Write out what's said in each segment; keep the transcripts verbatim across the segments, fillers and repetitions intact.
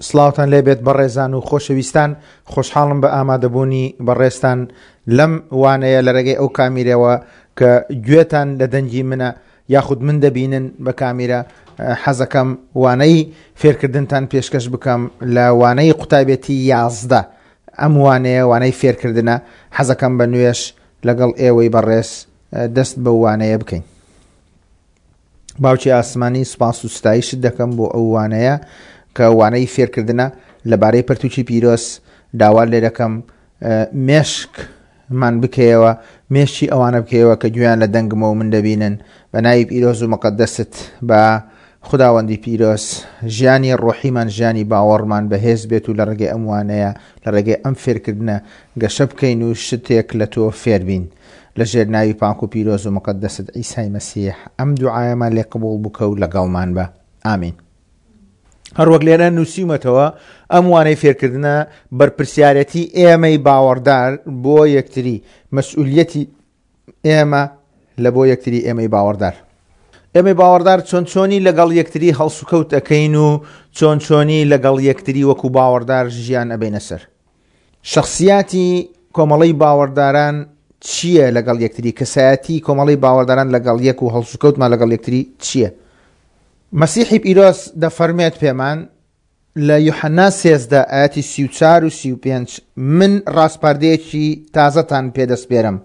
سڵاوتان لێبێت بەڕێزان و خۆشەویستان، خۆشحاڵم بە ئامادەبوونی بەڕێزتان لەم وانەیە لە ڕێگەی ئەو کامیرەوە کە گوێتان لە دەنگی منە یاخود من دەبینن بە کامیرە. حەزەکەم وانەی فێرکردنتان پێشکەش بکەم لە وانەی قوتابێتی یازدە. ئەم وانەیە وانەی فێرکردنە، حەزەکەم بە نوێش لەگەڵ ئێوەی بەڕێز دەست بە وانەیە بکەین. باوکی ئاسمانی سوپاس و ستایشت دەکەم بۆ ئەو وانەیە کە وانەی فێرکردنە لەبارەی پەرتوکی پیرۆز. داوا لێ دەکەم مێشکمان بکەیەوە، مێشکی ئەوانە بکەیەوە کە گوێیان لە دەنگمەوە من دەبینن. بە ناوی پیرۆز و مقەدەست بە خداوەندی پیرۆز ژیانی ڕۆحیمان، ژیانی باوەڕمان بەهێز بێت و لە ڕێگەی ئەم وانەیە، لە ڕێگەی ئەم فێرکردنە گەشە بکەین و شتێک لە تۆ فێربین. لە ژێر ناوی پاک و پیرۆز و مقەدەست عیسای مەسیح ئەم دوعایەمان لێ قبوڵ بکە و لەگەڵمان بە. ئامین. هەروەک لێرە نووسیومەتەوە ئەم وانەی فێرکردنە بەرپرسیارەتی ئێمەی باوەڕدار بۆ یەکتری، مەسئولیەتی ئێمە لە بۆ یەکتری ئێمەی باوەڕدار. ئێمەی باوەڕدار چۆن چۆنی لەگەڵ یەکتری هەڵسوکەوت ئەەکەین و چۆن چۆنی لەگەڵ یەکتری وەکو باوەڕدار ژیان ئەبینە سەر. شخصیاتی کۆمەڵەی باوەڕداران چییە لەگەڵ یەکتری؟ کەسایەتی کۆمەڵەی باوەڕداران لەگەڵ یەک و هەڵسوکەوتمان لەگەڵ یەکتری چییە؟ مەسیحی پیرۆز دەفەرمێت پێمان لە یوحەنا سێزدە ئاەتی سی و چوار و سی و پێنج: من ڕاسپاردەیەکی تازەتان پێدەسپێرم،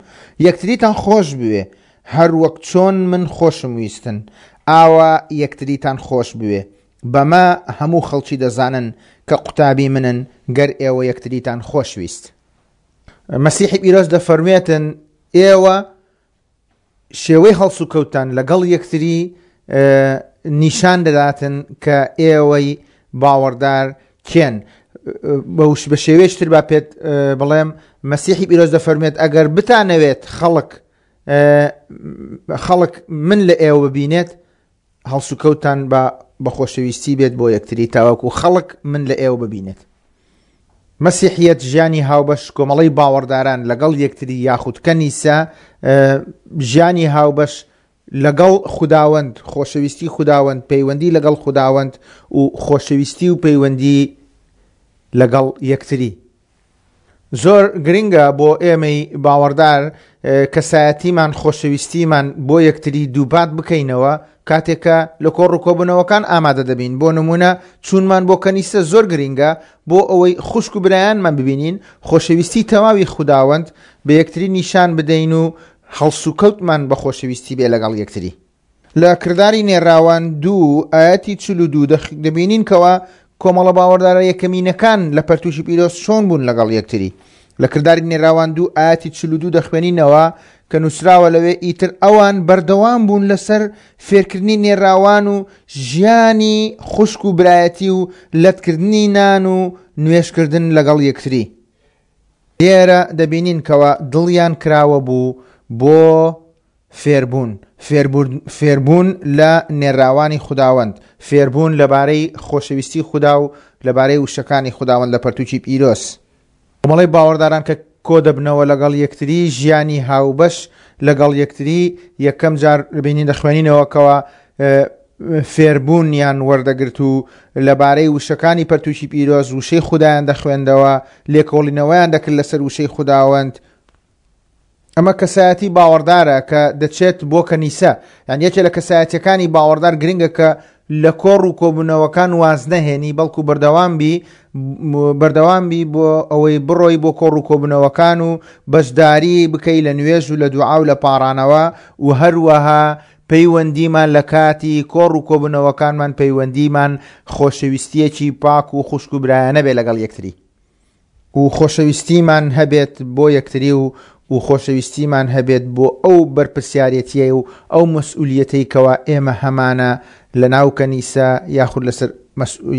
یەکتریتان خۆش بوێ، هەر وەک چۆن من خۆشم ویستن ئاوا یەکتریتان خۆش بوێ. بەمە هەموو خەڵکی دەزانن کە قوتابی منن گەر ئێوە یەکتریتان خۆش ویست. مەسیحی پیرۆز دەفەرمێتن ئێوە شێوەی هەڵسوکەوتان لەگەڵ یەکتری نیشان دەداتن کە ئێوەی باوەڕدار کێن. بە شێوەیەکی تر با پێت بڵێم، مەسیحی پیرۆز دەفەرمێت ئەگەر بتانەوێت خەڵک خەڵک من لە ئێوە ببینێت، هەڵسوکەوتان بە بە خۆشەویستی بێت بۆ یەکتری تاوەکو خەڵک من لە ئێوە ببینێت. مەسیحیەت ژیانی هاوبەش کۆمەڵەی باوەڕداران لەگەڵ یەکتری یاخود کەنیسە، ژیانی هاوبەش لەگەڵ خوداوەند، خۆشەویستی خوداوەند، پەیوەندی لەگەڵ خوداوەند و خۆشەویستی و پەیوەندی لەگەڵ یەکتری. زۆر گرنگە بۆ ئێمەی باوەڕدار کەسایەتیمان، خۆشەویستیمان بۆ یەکتری دووپات بکەینەوە کاتێکە لە کۆڕ و کۆبوونەوەکان ئامادە دەبین. بۆ نمونە چوونمان بۆ کەنیسە زۆر گرنگە بۆ ئەوەی خوشک و برایانمان ببینین، خۆشەویستی تەواوی خوداوەند بە یەکتری نیشان بدەین و هەڵسوکەوتمان بە خۆشەویستی بێ لەگەڵ یەکتری. لە کرداری نێراوان دوو ئاەتی چل و دوو دەبینین کەوا کۆمەڵە باوەڕدارە یەکەمینەکان لە پەرتوشی پیرۆز چۆن بوون لەگەڵ یەکتری. لە کرداری نێراوان دوو ئاەتی چل و دوو دەخوێنینەوە کە نووسراوە لەوێ ئیتر ئەوان بەردەوام بوون لەسەر فێرکردنی نێراوان و ژیانی خوشک و برایەتی و لەتکردنی نان و نوێشکردن لەگەڵ یەکتری. لێرە دەبینین کەوا دڵیان کراوە بوو بۆ فێربوون، فێربوون لە نێراوانی خوداوەند، فێربوون لەبارەی خۆشەویستی خودا و لەبارەی وشەکانی خوداوەند لە پەرتوکی پیرۆز. کۆمەڵەی باوەڕداران کە کۆ دەبنەوە لەگەڵ یەکتری، ژیانی هاوبەش لەگەڵ یەکتری، یەکەم جار بینین دەخوێنینەوە کەوا فێربوونیان وەردەگرت و لەبارەی وشەکانی پەرتوکی پیرۆز وشەی خودایان دەخوێندەوە، لێکۆڵینەوەیان دەکرد لەسەر وشەی خوداوەند. ئەمە کەسایەتی باوەڕدارە کە دەچێت بۆ کەنیسە. یان یەکێ لە کەسایەتیەکانی باوەڕدار گرنگە کە لە کۆڕ و کۆبوونەوەکان واز نەهێنی، بەڵکو بەردەوام بی، بەردەوام بی بۆ ئەوەی بڕۆی بۆ کۆڕ و کۆبوونەوەکان و بەشداری بکەی لە نوێژ و لە دوعا و لە پاڕانەوە و هەروەها پەیوەندیمان لە کاتی کۆڕ و کۆبوونەوەکانمان پەیوەندیمان خۆشەویستیەکی پاک و خوشک و برایانە بێ لەگەڵ یەکتری و خۆشەویستیمان هەبێت بۆ یەکتری و و خۆشەویستیمان هەبێت بۆ ئەو بەرپرسیارەتیە و ئەو مەسئولیەتەی کەوا ئێمە هەمانە لە ناو کەنیسە یاخود لەسەر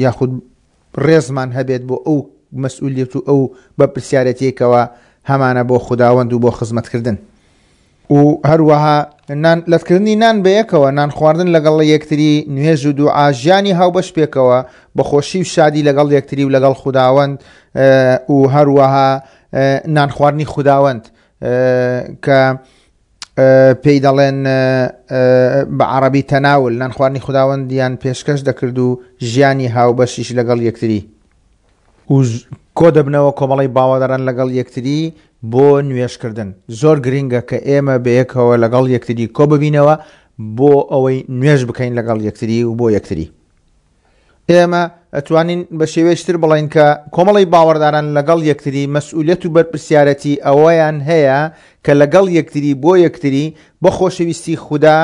یاخود ڕێزمان هەبێت بۆ ئەو مەسئولیەت و ئەو بەرپرسیارەتیەی کەوا هەمانە بۆ خوداوەند و بۆ خزمەتکردن. و هەروەها نان لەتکردنی نان بەیەکەوە، نان خواردن لەگەڵ یەکتری، نوێژ و دوعا، ژیانی هاوبەش پێکەوە بە خۆشی و شادی لەگەڵ یەکتری و لەگەڵ خوداوەند، و هەروەها نان خواردنی خوداوەند کە پێی دەڵێن بە عەرەبی تەناول، نان خواردنی خوداوەندیان پێشکەش دەکرد و ژیانی هاوبەشیش لەگەڵ یەکتری. و کۆ دەبنەوە کۆمەڵی باوەڕداران لەگەڵ یەکتری بۆ نوێژکردن. زۆر گرنگە کە ئێمە بەیەکەوە لەگەڵ یەکتری کۆ ببینەوە بۆ ئەوەی نوێژ بکەین لەگەڵ یەکتری و بۆ یەکتری. ئێمە ئەتوانین بە شێوەیەکی تر بڵێین کە کۆمەڵی باوەڕداران لەگەڵ یەکتری مەسئولیەت و بەرپرسیارەتی ئەوەیان هەیە کە لەگەڵ یەکتری بۆ یەکتری بۆ خۆشەویستی خودا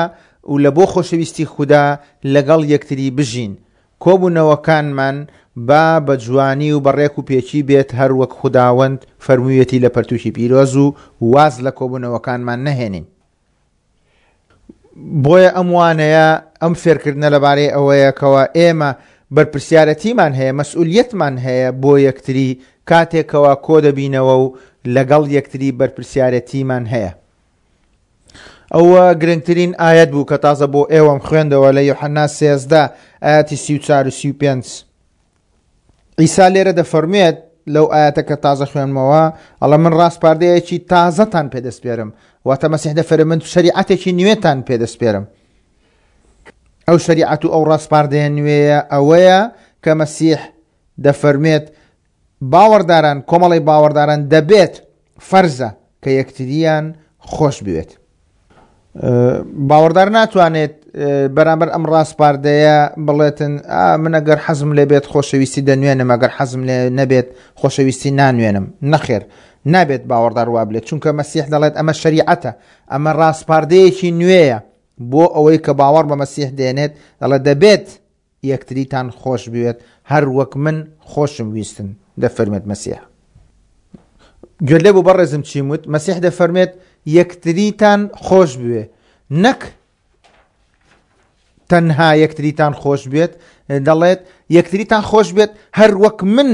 و لە بۆ خۆشەویستی خودا لەگەڵ یەکتری بژین. کۆبوونەوەکانمان با بە جوانی و بە ڕێک و پێکی بێت هەر وەک خوداوەند فەرموویەتی لە پەرتووکی پیرۆز و واز لە کۆبوونەوەکانمان نەهێنین. بۆیە ئەم وانەیە ئەم فێرکردنە لەبارەی ئەوەیەکەوە ئێمە بەرپرسیارەتیمان هەیە، مەسئولیەتمان هەیە بۆ یەکتری کاتێکەوە کۆ دەبینەوە و لەگەڵ یەکتری بەرپرسیارەتیمان هەیە. ئەوە گرنگترین ئاەت بوو کە تازە بۆ ئێوەم خوێندەوە لە یۆحەنا سێزدە ئاەتی سی و چوار و سی و پێنج. عیسا لێرە دەفەرموێت لەو ئاەتە کە تازە خوێنمەوە، ئەڵێ من ڕاسپاردەیەکی تازەتان پێدەسپێرم، واتە مەسیح دەفەرموێت من شەریعەتێکی نوێتان پێدەسپێرم. ئەو شەریعەت و ئەو ڕاسپاردەیە نوێیە ئەوەیە کە مەسیح دەفەرمێت باوەڕداران، کۆمەڵی باوەڕداران دەبێت فەرزە کە یەکتریان خۆش بوێت. باوەڕدار ناتوانێت بەرامبەر ئەم ڕاسپاردەیە بڵێتن من ئەگەر حەزم لێ بێت خۆشەویستی دەنوێنم، ئەگەر حەزم لێ نەبێت خۆشەویستی نانوێنم. نەخێر، نابێت باوەڕدار وا بڵێت، چونکە مەسیح دەڵێت ئەمە شەریعەتە، ئەمە ڕاسپاردەیەکی نوێیە بۆ ئەوەی کە باوەڕ بە مەسیح دێنێت. دەڵێت دەبێت یەکتریتان خۆش بوێت هەر وەک من خۆشم ویستن، دەفەرمێت مەسیح. گوێ لێ بوو بەڕێزم چیم وت؟ مەسیح دەفەرمێت یەکتریتان خۆش بوێ، نەک تەنها یەکتریتان خۆش بێت، دەڵێت یەکتریتان خۆش بێت هەر وەک من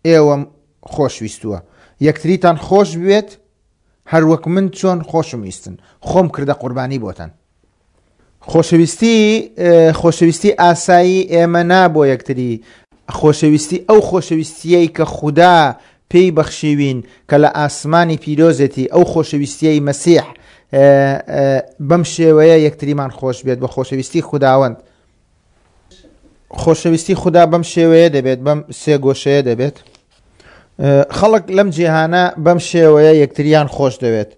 ئێوەم خۆشویستووە. یەکتریتان خۆش بێت هەر وەک من چۆن خۆشم ویستن، خۆم کردە قوربانی بۆتان. خۆشەویستی خۆشەویستی ئاسایی ئێمە نا بۆ یەکتری، خۆشەویستی ئەو خۆشەویستیەی کە خودا پێی بەخشیوین کە لە ئاسمانی پیرۆزێتی، ئەو خۆشەویستیەی مەسیح بەم شێوەیە یەکتریمان خۆش بێت بە خۆشەویستی خوداوەند. خۆشەویستی خودا بەم شێوەیە دەبێت، بەم سێ گۆشەیە دەبێت. خەڵک لەم جیهانە بەم شێوەیە یەکتریان خۆش دەوێت.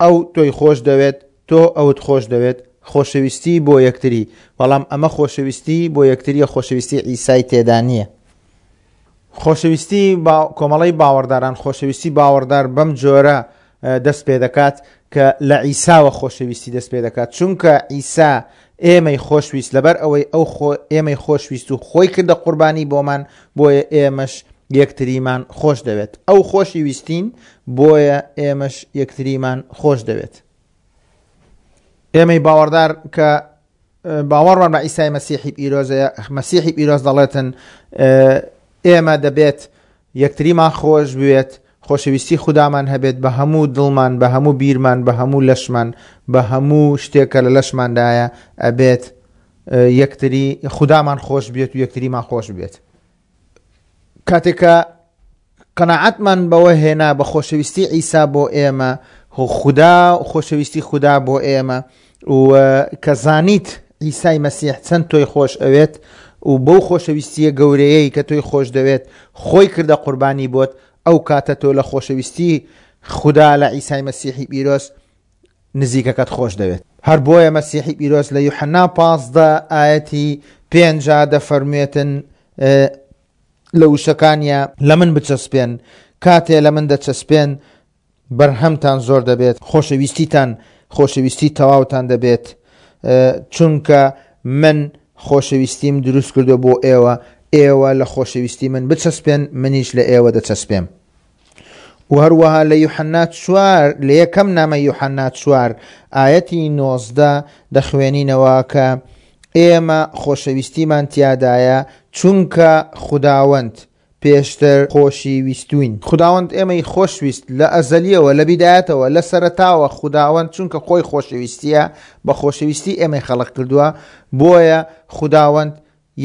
ئەو تۆی خۆش دەوێت، تۆ ئەوت خۆش دەوێت، خۆشەویستی بۆ یەکتری. بەڵام ئەمە خۆشەویستی بۆ یەکتریە، خۆشەویستی عیسای تێدا نییە. خۆشەویستی کۆمەڵی باوەڕداران، خۆشەویستی باوەڕدار بەم جۆرە دەست پێ دەکات کە لە عیساوە خۆشەویستی دەست پێ دەکات، چونکە عیسا ئێمەی خۆشویست، لەبەر ئەوەی ئەو ئێمەی خۆشویست و خۆی کردە قوربانی بۆمان، بۆیە ئێمەش یەکتریمان خۆش دەوێت. ئەو خۆشی ویستین، بۆیە ئێمەش یەکتریمان خۆش دەوێت. ئێمەی باوەڕدار کە باوەڕمان بە عیسای مەسیحی پیرۆزەیە، مەسیحی پیرۆز دەڵێتن ئێمە دەبێت یەکتریمان خۆش بوێت، خۆشەویستی خودامان هەبێت بە هەموو دڵمان، بە هەموو بیرمان، بە هەموو لەشمان، بە هەموو شتێکە لە لەشماندایە، ئەبێت یەکتری خودامان خۆش بێت و یەکتریمان خۆش بێت. کاتێکە قەناعەتمان بەوە هێنا بە خۆشەویستی عیسا بۆ ئێمە، خوددا خۆشەویستی خودا بۆ ئێمە، و کە زانیت عیسای مەسیح چەند تۆی خۆش ئەوێت و بەو خۆشەویستیە گەورەیەی کە تۆی خۆش دەوێت خۆی کردە قوربانی بۆت، ئەو کاتە تۆ لە خۆشەویستی خودا لە عیسای مەسیحی پیرۆز نزیکەکەت خۆش دەوێت. هەر بۆیە مەسیحی پیرۆز لە یوحەنا پازدە ئایەتی پێنجا دەفەرموێتن لە وشەکانیە لە من بچەسپێن، کاتێ لە من دەچەسپێن بەرهەمتان زۆر دەبێت، خۆشەویستیتان خۆشەویستی تەواوتان دەبێت، چونکە من خۆشەویستیم دروست کردو بۆ ئێوە، ئێوە لە خۆشەویستی من بچەسپێن، منیش لە ئێوە دەچەسپێم. و هەروەها لە یوحەنا چوار، لە یەکەم نامە یوحەنا چوار ئایەتی نۆزدە دەخوێنینەوە کە ئێمە خۆشەویستیمان تیادایە چونکە خوداوەند پێشتر خۆشی ویستوین. خوداوەند ئێمەی خۆشویست لە ئەزەلیەوە، لە بیدایەتەوە، لە سەرەتاوە. خوداوەند چونکە خۆی خۆشەویستیە، بە خۆشەویستی ئێمەی خەڵق کردووە، بۆیە خوداوەند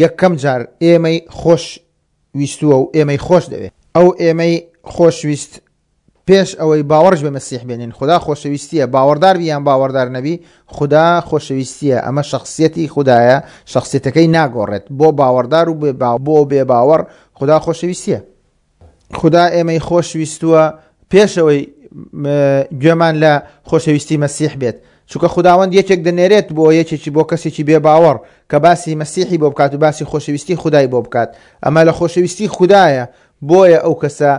یەکەم جار ئێمەی خۆش ویستووە و ئێمەی خۆش دەوێت. ئەو ئێمەی خۆشویست پێش ئەوەی باوەڕش بە مەسیح بێنین. خودا خۆشەویستیە، باوەڕدار بی یان باوەڕدار نەبی، خودا خۆشەویستیە. ئەمە شخصیەتی خودایە، شخصیەتەکەی ناگۆڕێت. بۆ باوەڕدار و بۆ بێ باوەڕ خودا خۆشەویستیە. خودا ئێمەی خۆشویستووە پێشەوەی گوێمان لە خۆشەویستی مەسیح بێت، چونکە خوداوەند یەکێک دەنێرێت بۆ یەکێکی بۆ کەسێکی بێباوەڕ کە باسی مەسیحی بۆ بکات و باسی خۆشەویستی خودای بۆ بکات. ئەمە لە خۆشەویستی خودایە، بۆیە ئەو کەسە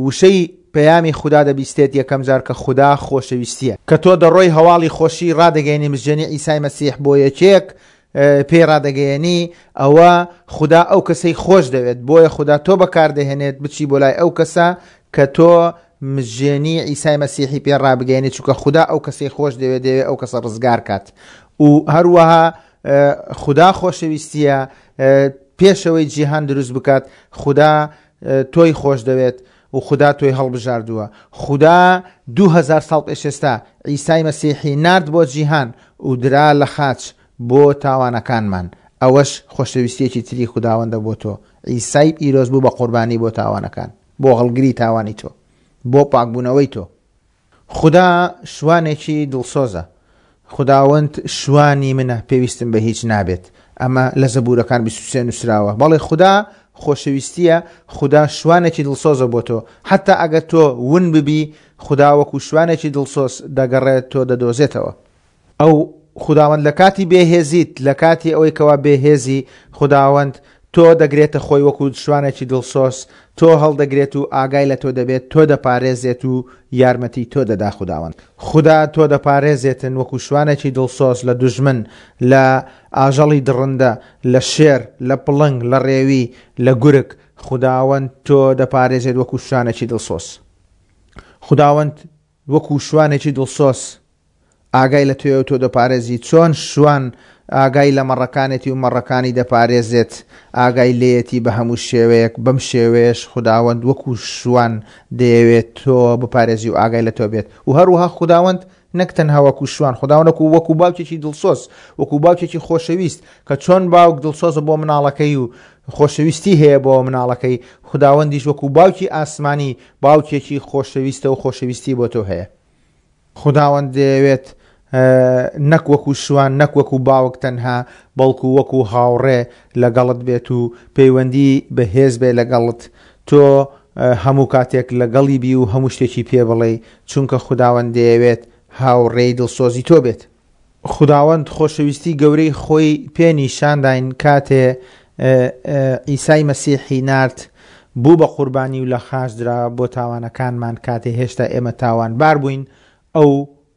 وشەی پەیامی خودا دەبیستێت یەکەم جار کە خودا خۆشەویستیە. کە تۆ دەڕۆی هەواڵی خۆشی ڕادەگەیەنی مزگێنی عیسای مەسیح بۆ یەکێک پێی ڕادەگەیەنی، ئەوە خودا ئەو کەسەی خۆش دەوێت، بۆیە خودا تۆ بەکاردەهێنێت بچی بۆ لای ئەو کەسە کە تۆ مزگێنی عیسای مەسیحی پێ ڕابگەیەنی، چونکە خودا ئەو کەسەی خۆش دەوێت، دەوێت ئەو کەسە ڕزگار کات. و هەروەها خودا خۆشەویستیە، پێشەوەی جیهان دروست بکات خودا تۆی خۆش دەوێت و خودا تۆی هەڵبژاردووە. خودا دوو هەزار ساڵ پێش ئێستا عیسای مەسیحی نارد بۆ جیهان و درا لە خاچ بۆ تاوانەکانمان. ئەوەش خۆشەویستیەکی تری خوداوەندە بۆ تۆ. عیسای پیرۆز بوو بە قوربانی بۆ تاوانەکان، بۆ هەڵگری تاوانی تۆ، بۆ پاکبوونەوەی تۆ. خودا شوانێکی دڵسۆزە، خوداوەند شوانی منە، پێویستم بە هیچ نابێت. ئەمە لە زەبوورەکان بیست و سێ نووسراوە. بەڵێ خودا خۆشەویستیە، خودا شوانێکی دڵسۆزە بۆ تۆ. حتا ئەگەر تۆ ون ببی، خودا وەکو شوانێکی دڵسۆز دەگەڕێت تۆ دەدۆزێتەوە. ئەو خوداوەند لە کاتی بێهێزیت، لە کاتی ئەوەی کەوا بێهێزی، خوداوەند تۆ دەگرێتە خۆی وەکو شوانێکی دڵسۆز، تۆ هەڵدەگرێت و ئاگای لە تۆ دەبێت، تۆ دەپارێزێت و یارمەتی تۆ دەدا خوداوەند. خودا تۆ دەپارێزێتن وەکو شوانێکی دڵسۆز لە دوژمن، لە ئاژەڵی دڕندە، لە شێر، لە پڵنگ، لە ڕێوی، لە گورگ. خوداوەند تۆ دەپارێزێت وەکو شوانێکی دڵسۆز. خوداوەند وەکو شوانێکی دڵسۆز ئاگای لە تۆیە و تۆ دەپارێزی. چۆن شوان ئاگای لە مەڕەکانێتی و مەڕەکانی دەپارێزێت، ئاگای لێیەتی بە هەموو شێوەیەک، بەم شێوەیەش خوداوەند وەکو شوان دەیەوێت تۆ بپارێزی و ئاگای لە تۆ بێت. و هەروەها خوداوەند نەک تەنها وەکو شوان، خوداوەند وەکو وەکو باوکێکی دڵسۆز، وەکو باوکێکی خۆشەویست کە چۆن باوک دڵسۆزە بۆ مناڵەکەی و خۆشەویستی هەیە بۆ مناڵەکەی، خوداوەندیش وەکو باوکی ئاسمانی باوکێکی خۆشەویستە و خۆشەویستی بۆ تۆ هەیە. خوداوەند دەیەوێت نەک وەکو شوان، نەک وەکو باوک تەنها، بەڵکو وەکو هاوڕێ لەگەڵت بێت و پەیوەندی بەهێز بێ لەگەڵت. تۆ هەموو کاتێک لەگەڵی بی و هەموو شتێکی پێ بڵێ، چونکە خوداوەند دەیەوێت هاوڕێی دڵسۆزی تۆ بێت. خوداوەند خۆشەویستی گەورەی خۆی پێ نیشانداین کاتێ عیسای مەسیحی نارد بوو بە قوربانی و لە خاچ درا بۆ تاوانەکانمان. کاتێ هێشتا ئێمە تاوانبار بووین، ئەو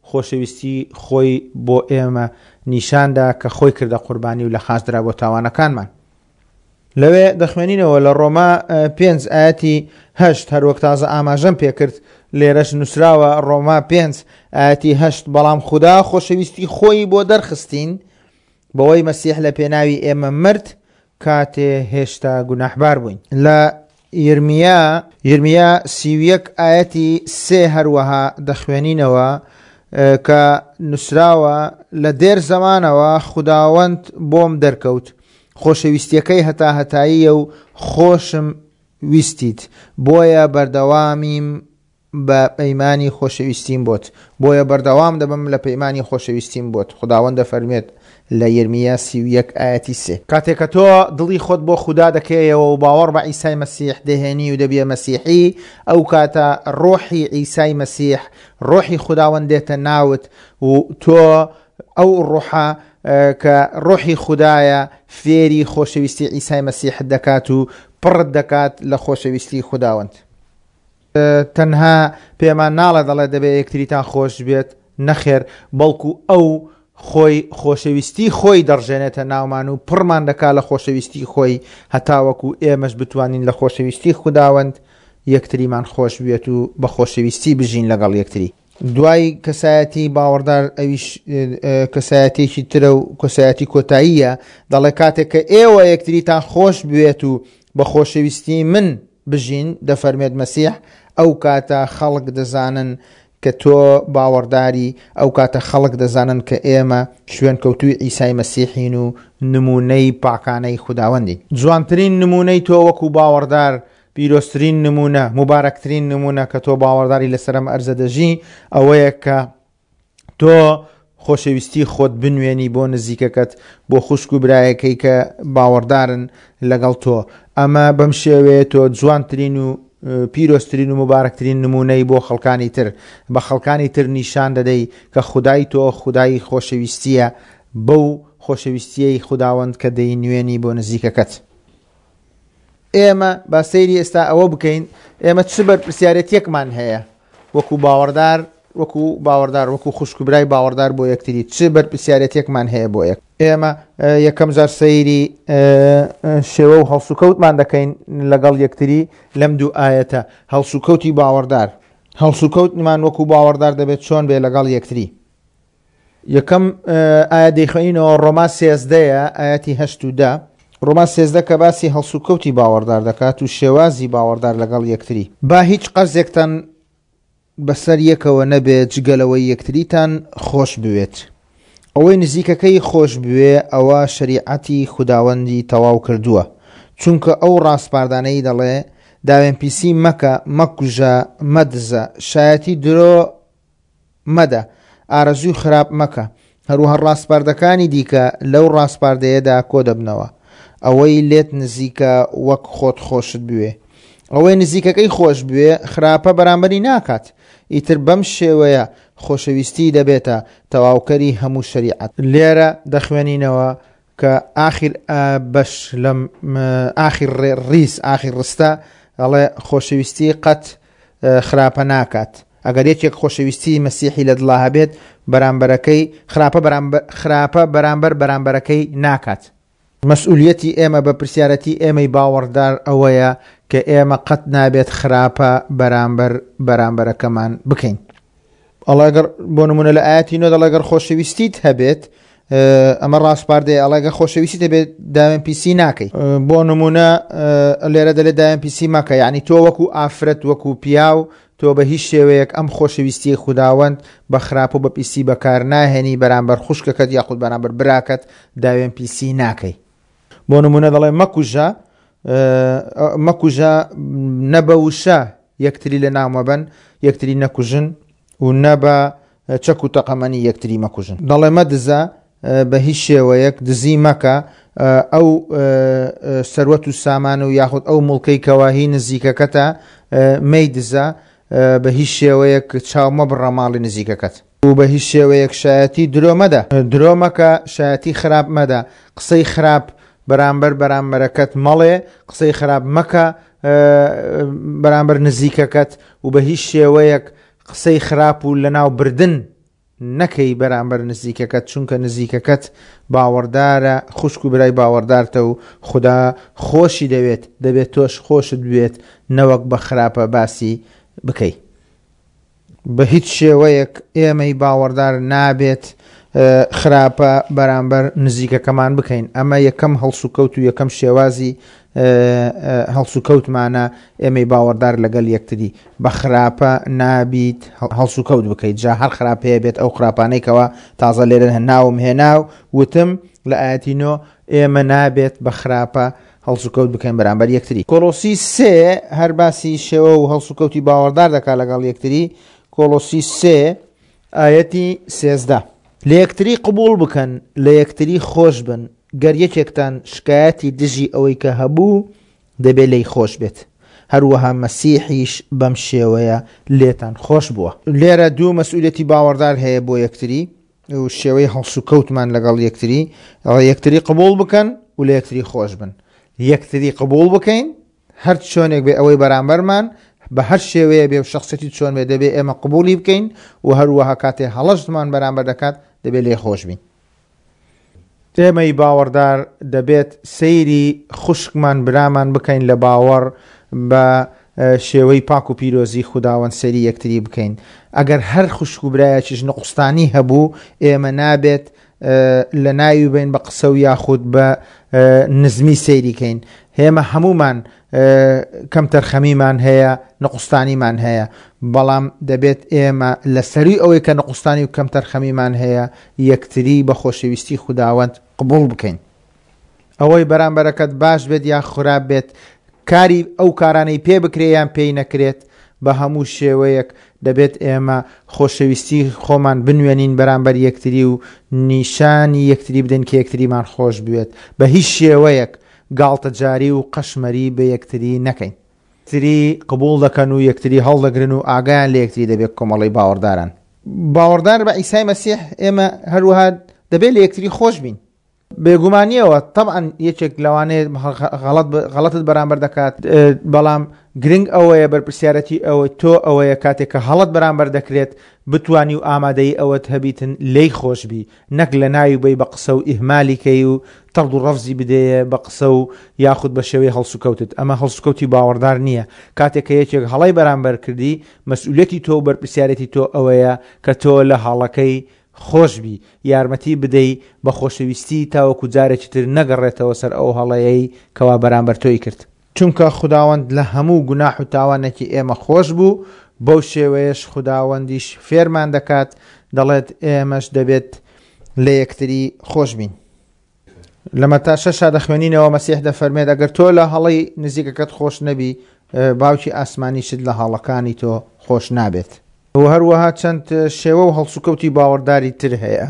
خۆشەویستی خۆی بۆ ئێمە نیشاندا کە خۆی کردە قوربانی و لە خاچ درا بۆ تاوانەکانمان. لەوێ دەخوێنینەوە لە ڕۆما پێنج ئاەتی هەشت، هەروەک تازە ئاماژەم پێکرد لێرەش نووسراوە ڕۆما پێنج ئاەتی هەشت، بەڵام خودا خۆشەویستی خۆی بۆ دەرخستین بەوەی مەسیح لە پێناوی ئێمە مرد کاتێ هێشتا گوناحبار بووین. لە یرمیا یرمیا سی و یەک ئاەتی سێ هەروەها دەخوێنینەوە کە نووسراوە لە دێر زەمانەوە خوداوەند بۆم دەرکەوت، خۆشەویستیەکەی هەتا هەتاییە و خۆشم ویستیت، بۆیە بەردەوامیم بە پەیمانی خۆشەویستیم بۆت، بۆیە بەردەوام دەبم لە پەیمانی خۆشەویستیم بۆت. خوداوەند دەفەرمێت لە یرمیا سی و یەک ئاەتی سێ. کاتێک کە تۆ دڵی خۆت بۆ خودا دەکەیەوە و باوەڕ بە عیسای مەسیح دەهێنی و دەبیە مەسیحی، ئەو کاتە ڕۆحی عیسای مەسیح، ڕۆحی خوداوەند دێتە ناوت و تۆ ئەو ڕۆحە کە ڕۆحی خودایە فێری خۆشەویستی عیسای مەسیح دەکات و پڕت دەکات لە خۆشەویستی خوداوەند. تەنها پێمان ناڵێ دەڵێ دەبێت یەکتریتان خۆش بێت، نەخێر، بەڵکو ئەو خۆی خۆشەویستی خۆی دەڕژێنێتە ناومان و پڕمان دەکا لە خۆشەویستی خۆی، هەتاوەکو ئێمەش بتوانین لە خۆشەویستی خوداوەند یەکتریمان خۆش بێت و بە خۆشەویستی بژین لەگەڵ یەکتری. دوای کەسایەتی باوەڕدار ئەویش کەسایەتێکی ترە و کەسایەتی کۆتاییە، دەڵێ کاتێک کە ئێوە یەکتریتان خۆش بوێت و بە خۆشەویستی من بژین، دەفەرمێت مەسیح، ئەو کاتە خەڵک دەزانن کە تۆ باوەڕداری، ئەو کاتە خەڵک دەزانن کە ئێمە شوێنکەوتووی عیسای مەسیحین و نمونەی پاکانەی خوداوەندین. جوانترین نمونەی تۆ وەکو باوەڕدار، پیرۆزترین نمونە، مبارەکترین نمونە کە تۆ باوەڕداری لەسەر ئەم ئەرزە دەژی، ئەوەیە کە تۆ خۆشەویستی خۆت بنوێنی بۆ نزیکەکەت، بۆ خوشک و برایەکەی کە باوەڕدارن لەگەڵ تۆ. ئەمە بەم شێوەیە تۆ جوانترین و پیرۆزترین و موبارەکترین نموونەی بۆ خەڵکانی تر، بە خەڵکانی تر نیشان دەدەی کە خودای تۆ خودای خۆشەویستییە، بەو خۆشەویستیەی خوداوەند کە دەینوێنی بۆ نزیکەکەت. ئێمە با سەیری ئێستا ئەوە بکەین ئێمە چ بەرپرسیارەتیەکمان هەیە وەکو باوەڕدار، وەکو باوەڕدار، وەکو خوشک و برای باوەڕدار بۆ یەکتری، چ بەرپرسیارەتیەکمان هەیە بۆ یەک. ئێمە یەکەم جار سەیری شێوە و هەڵسوکەوتمان دەکەین لەگەڵ یەکتری لەم دوو ئایەتە. هەڵسوکەوتی باوەڕدار، هەڵسوکەوتمان وەکو باوەڕدار دەبێت چۆن بێ لەگەڵ یەکتری. یەکەم ئایا دەیخوێنینەوە ڕۆما سێزدەیە ئاەتی هەشت و دە. ڕۆما سێزدە کە باسی هەڵسوکەوتی باوەڕدار دەکات و شێوازی باوەڕدار لەگەڵ یەکتری. با هیچ قەرزێکتان بەسەر یەکەوە نەبێت جگەلەوەی یەکتریتان خۆش بوێت. ئەوەی نزیکەکەی خۆش بوێ ئەوە شەریعەتی خوداوەندی تەواو کردووە، چونکە ئەو ڕاسپاردانەی دەڵێ داوێنپیسی مەکە، مەکوژە، مەدزە، شایەتی درۆ مەدە، ئارەزووی خراپ مەکە. هەروەها ڕاسپاردەکانی دیکە لەو ڕاسپاردەیەدا کۆ دەبنەوە. ئەوەی لێت نزیکە وەک خۆت خۆشت بوێ. ئەوەی نزیکەکەی خۆش بوێ خراپە بەرامبەری ناکات. ئیتر بەم شێوەیە خۆشەویستی دەبێتە تەواوکەری هەموو شەریعەت. لێرە دەخوێنینەوە کە ئاخر بەش لەم ئاخر ڕیز ئاخر ڕستە ئەڵێ خۆشەویستی قەت خراپە ناکات. ئەگەر یەکێک خۆشەویستی مەسیحی لە دڵا هەبێت بەرامبەرەکەی خراپە بەرامبەر خراپە بەرامبەر بەرامبەرەکەی ناکات. مەسئولیەتی ئێمە بە پرسیارەتی ئێمەی باوەڕدار ئەوەیە کە ئێمە قەت نابێت خراپە بەرامبەر بەرامبەرەکەمان بکەین. ئەڵێ بۆ نمونە لە ئاەتی نۆ دەڵێ ئەگەر خۆشەویستیت هەبێت، ئەمە ڕاسپاردەیە، ئەڵێ ئەگەر خۆشەویستیت هەبێت داوێن پیسی ناکەی. بۆ نمونە لێرە دەلێ داوێن پیسی مەکە، یعنی تۆ وەکو ئافرەت وەکو پیاو تۆ بە هیچ شێوەیەک ئەم خۆشەویستی خوداوەند بە خراپ و بە پیسی بەکار ناهێنی بەرامبەر خوشکەکەت یاخود بەرامبەر براکەت داوێن پیسی ناکەی. بۆ نمونە دەڵێ مەکوژە، مەکوژە نە بە وشە یەکتری لە ناومەبەن، یەکتری نەکوژن و نە بە چەک و تەقەمەنی یەکتری مەکوژن. دەڵێ مەدزە بە هیچ شێوەیەک دزی مەکە، ئەو سەروەت و سامان و یاخود ئەو مڵکەی کەواهی نزیکەکەتە مەیدزە، بە هیچ شێوەیەک چاو مەبڕە ماڵی نزیکەکەت و بە هیچ شێوەیەک شایەتی درۆ مەدە. درۆ مەکە، شایەتی خراپ مەدە، قسەی خراپ بەرامبەر بەرامبەرەکەت مەڵێ، قسەی خراپ مەکە بەرامبەر نزیکەکەت و بە هیچ شێوەیەک قسەی خراپ و لەناو بردن نەکەی بەرامبەر نزیکەکەت، چونکە نزیکەکەت باوەڕدارە، خوشک و برای باوەڕدارتە و خدا خۆشی دەوێت، دەبێت تۆش خۆشت بوێت نەوەک بە خراپە باسی بکەی. بە هیچ شێوەیەک ئێمەی باوەڕدار نابێت خراپە بەرامبەر نزیکەکەمان بکەین. ئەمە یەکەم هەڵسوکەوت و یەکەم شێوازی هەڵسوکەوتمانە ئێمەی باوەڕدار لەگەڵ یەکتری. بە خراپە نابیت هەڵسوکەوت بکەیت، جا هەر خراپەیە بێت ئەو خراپانەی کەوا تازە لێرە ناوم هێنا و وتم لە ئاەتی نۆ ئێمە نابێت بە خراپە هەڵسوکەوت بکەین بەرامبەر یەکتری. کۆلۆسی سێ هەر باسی شێوە و هەڵسوکەوتی باوەڕدار دەکات لەگەڵ یەکتری. کۆلۆسی سێ ئاەتی سێزدە لە یەکتری قبول بکەن، لە یەکتری خۆش بن، گەر یەکێکتان شکایەتی دژی ئەوەی کە هەبوو دەبێت لێی خۆش بێت، هەروەها مەسیحیش بەم شێوەیە لێتان خۆش بووە. لێرە دوو مەسئولیەتی باوەڕدار هەیە بۆ یەکتری و شێوەی هەڵسوکەوتمان لەگەڵ یەکتری. یەکتری قبول بکەن و لە یەکتری خۆش بن. یەکتری قبول بکەین هەر چۆنێک بێ ئەوەی بەرامبەرمان بە هەر شێوەیە بێ و شخصەتی چۆن بێ دەبێ ئێمە قبولی بکەین و هەروەها کاتێ هەڵەشمان بەرامبەر دەکات دەبێت لێ خۆش بین. ئێمەی باوەڕدار دەبێت سەیری خوشکمان برامان بکەین لە باوەڕ بە شێوەی پاک و پیرۆزی خوداوەند سەیری یەکتری بکەین. ئەگەر هەر خوشک و برایەکیش نقوستانی هەبوو ئێمە نابێت لە ناوی بین بە قسە و یاخود بە نزمی سەیریکەین. ئێمە هەمومان کەمتەرخەمیمان هەیە، نقوستانیمان هەیە، بەڵام دەبێت ئێمە لە سەروی ئەوەی کە نقوستانی و کەمتەرخەمیمان هەیە یەکتری بە خۆشەویستی خوداوەند قبول بکەین. ئەوەی بەرامبەرەکەت باش بێت یا خراپ بێت، کاری ئەو کارانەی پێ بکرێ یان پێی نەکرێت، بە هەموو شێوەیەک دەبێت ئێمە خۆشەویستی خۆمان بنوێنین بەرامبەر یەکتری و نیشانی یەکتری بدەین کە یەکتریمان خۆش بوێت. بە هیچ شێوەیەک گاڵتەجاری و قەشمەری بە یەکتری نەکەین. یەکتری قبوڵ دەکەن و یەکتری هەڵدەگرن و ئاگایان لە یەکتری دەبێت کۆمەڵی باوەڕداران. باوەڕدار بە عیسای مەسیح ئێمە هەروەها دەبێت لە یەکتری خۆش بین. بێگومانیەوە طبعا یەکێک لەوانەیە غەڵەت غەڵەتت بەرامبەر دەکات، بەڵام گرنگ ئەوەیە بەرپرسیارەتی ئەوەی تۆ ئەوەیە کاتێک کە هەڵەت بەرامبەر دەکرێت بتوانی و ئامادەی ئەوەت هەبیتن لێی خۆش بی، نەک لە ناوی بەی بە قسە و ئیهمالیکەی و تەڕد و ڕەفزی بدەیە بە قسە و یاخود بە شێوەی هەڵسوکەوتت. ئەمە هەڵسوکەوتی باوەڕدار نییە. کاتێک کە یەکێک هەڵەی بەرامبەر کردی مەسئولیەتی تۆ و بەرپرسیارەتی تۆ ئەوەیە کە تۆ لە هەڵەکەی خۆش بی، یارمەتی بدەی بە خۆشەویستی تاوەکو جارێکی تر نەگەڕێتەوە سەر ئەو هەڵەیەی کەوا بەرامبەر تۆی کرد. چونکە خوداوەند لە هەموو گوناح و تاوانێکی ئێمە خۆش بوو، بەو شێوەیەش خوداوەندیش فێرمان دەکات، دەڵێت ئێمەش دەبێت لە یەکتری خۆش بین. لە مەتا شەشا دەخوێنینەوە مەسیح دەفەرمێت ئەگەر تۆ لە هەڵەی نزیکەکەت خۆش نەبی، باوکی ئاسمانیشت لە هەڵەکانی تۆ خۆش نابێت. و هەروەها چەند شێوە و هەڵسوکەوتی باوەڕداری تر هەیە،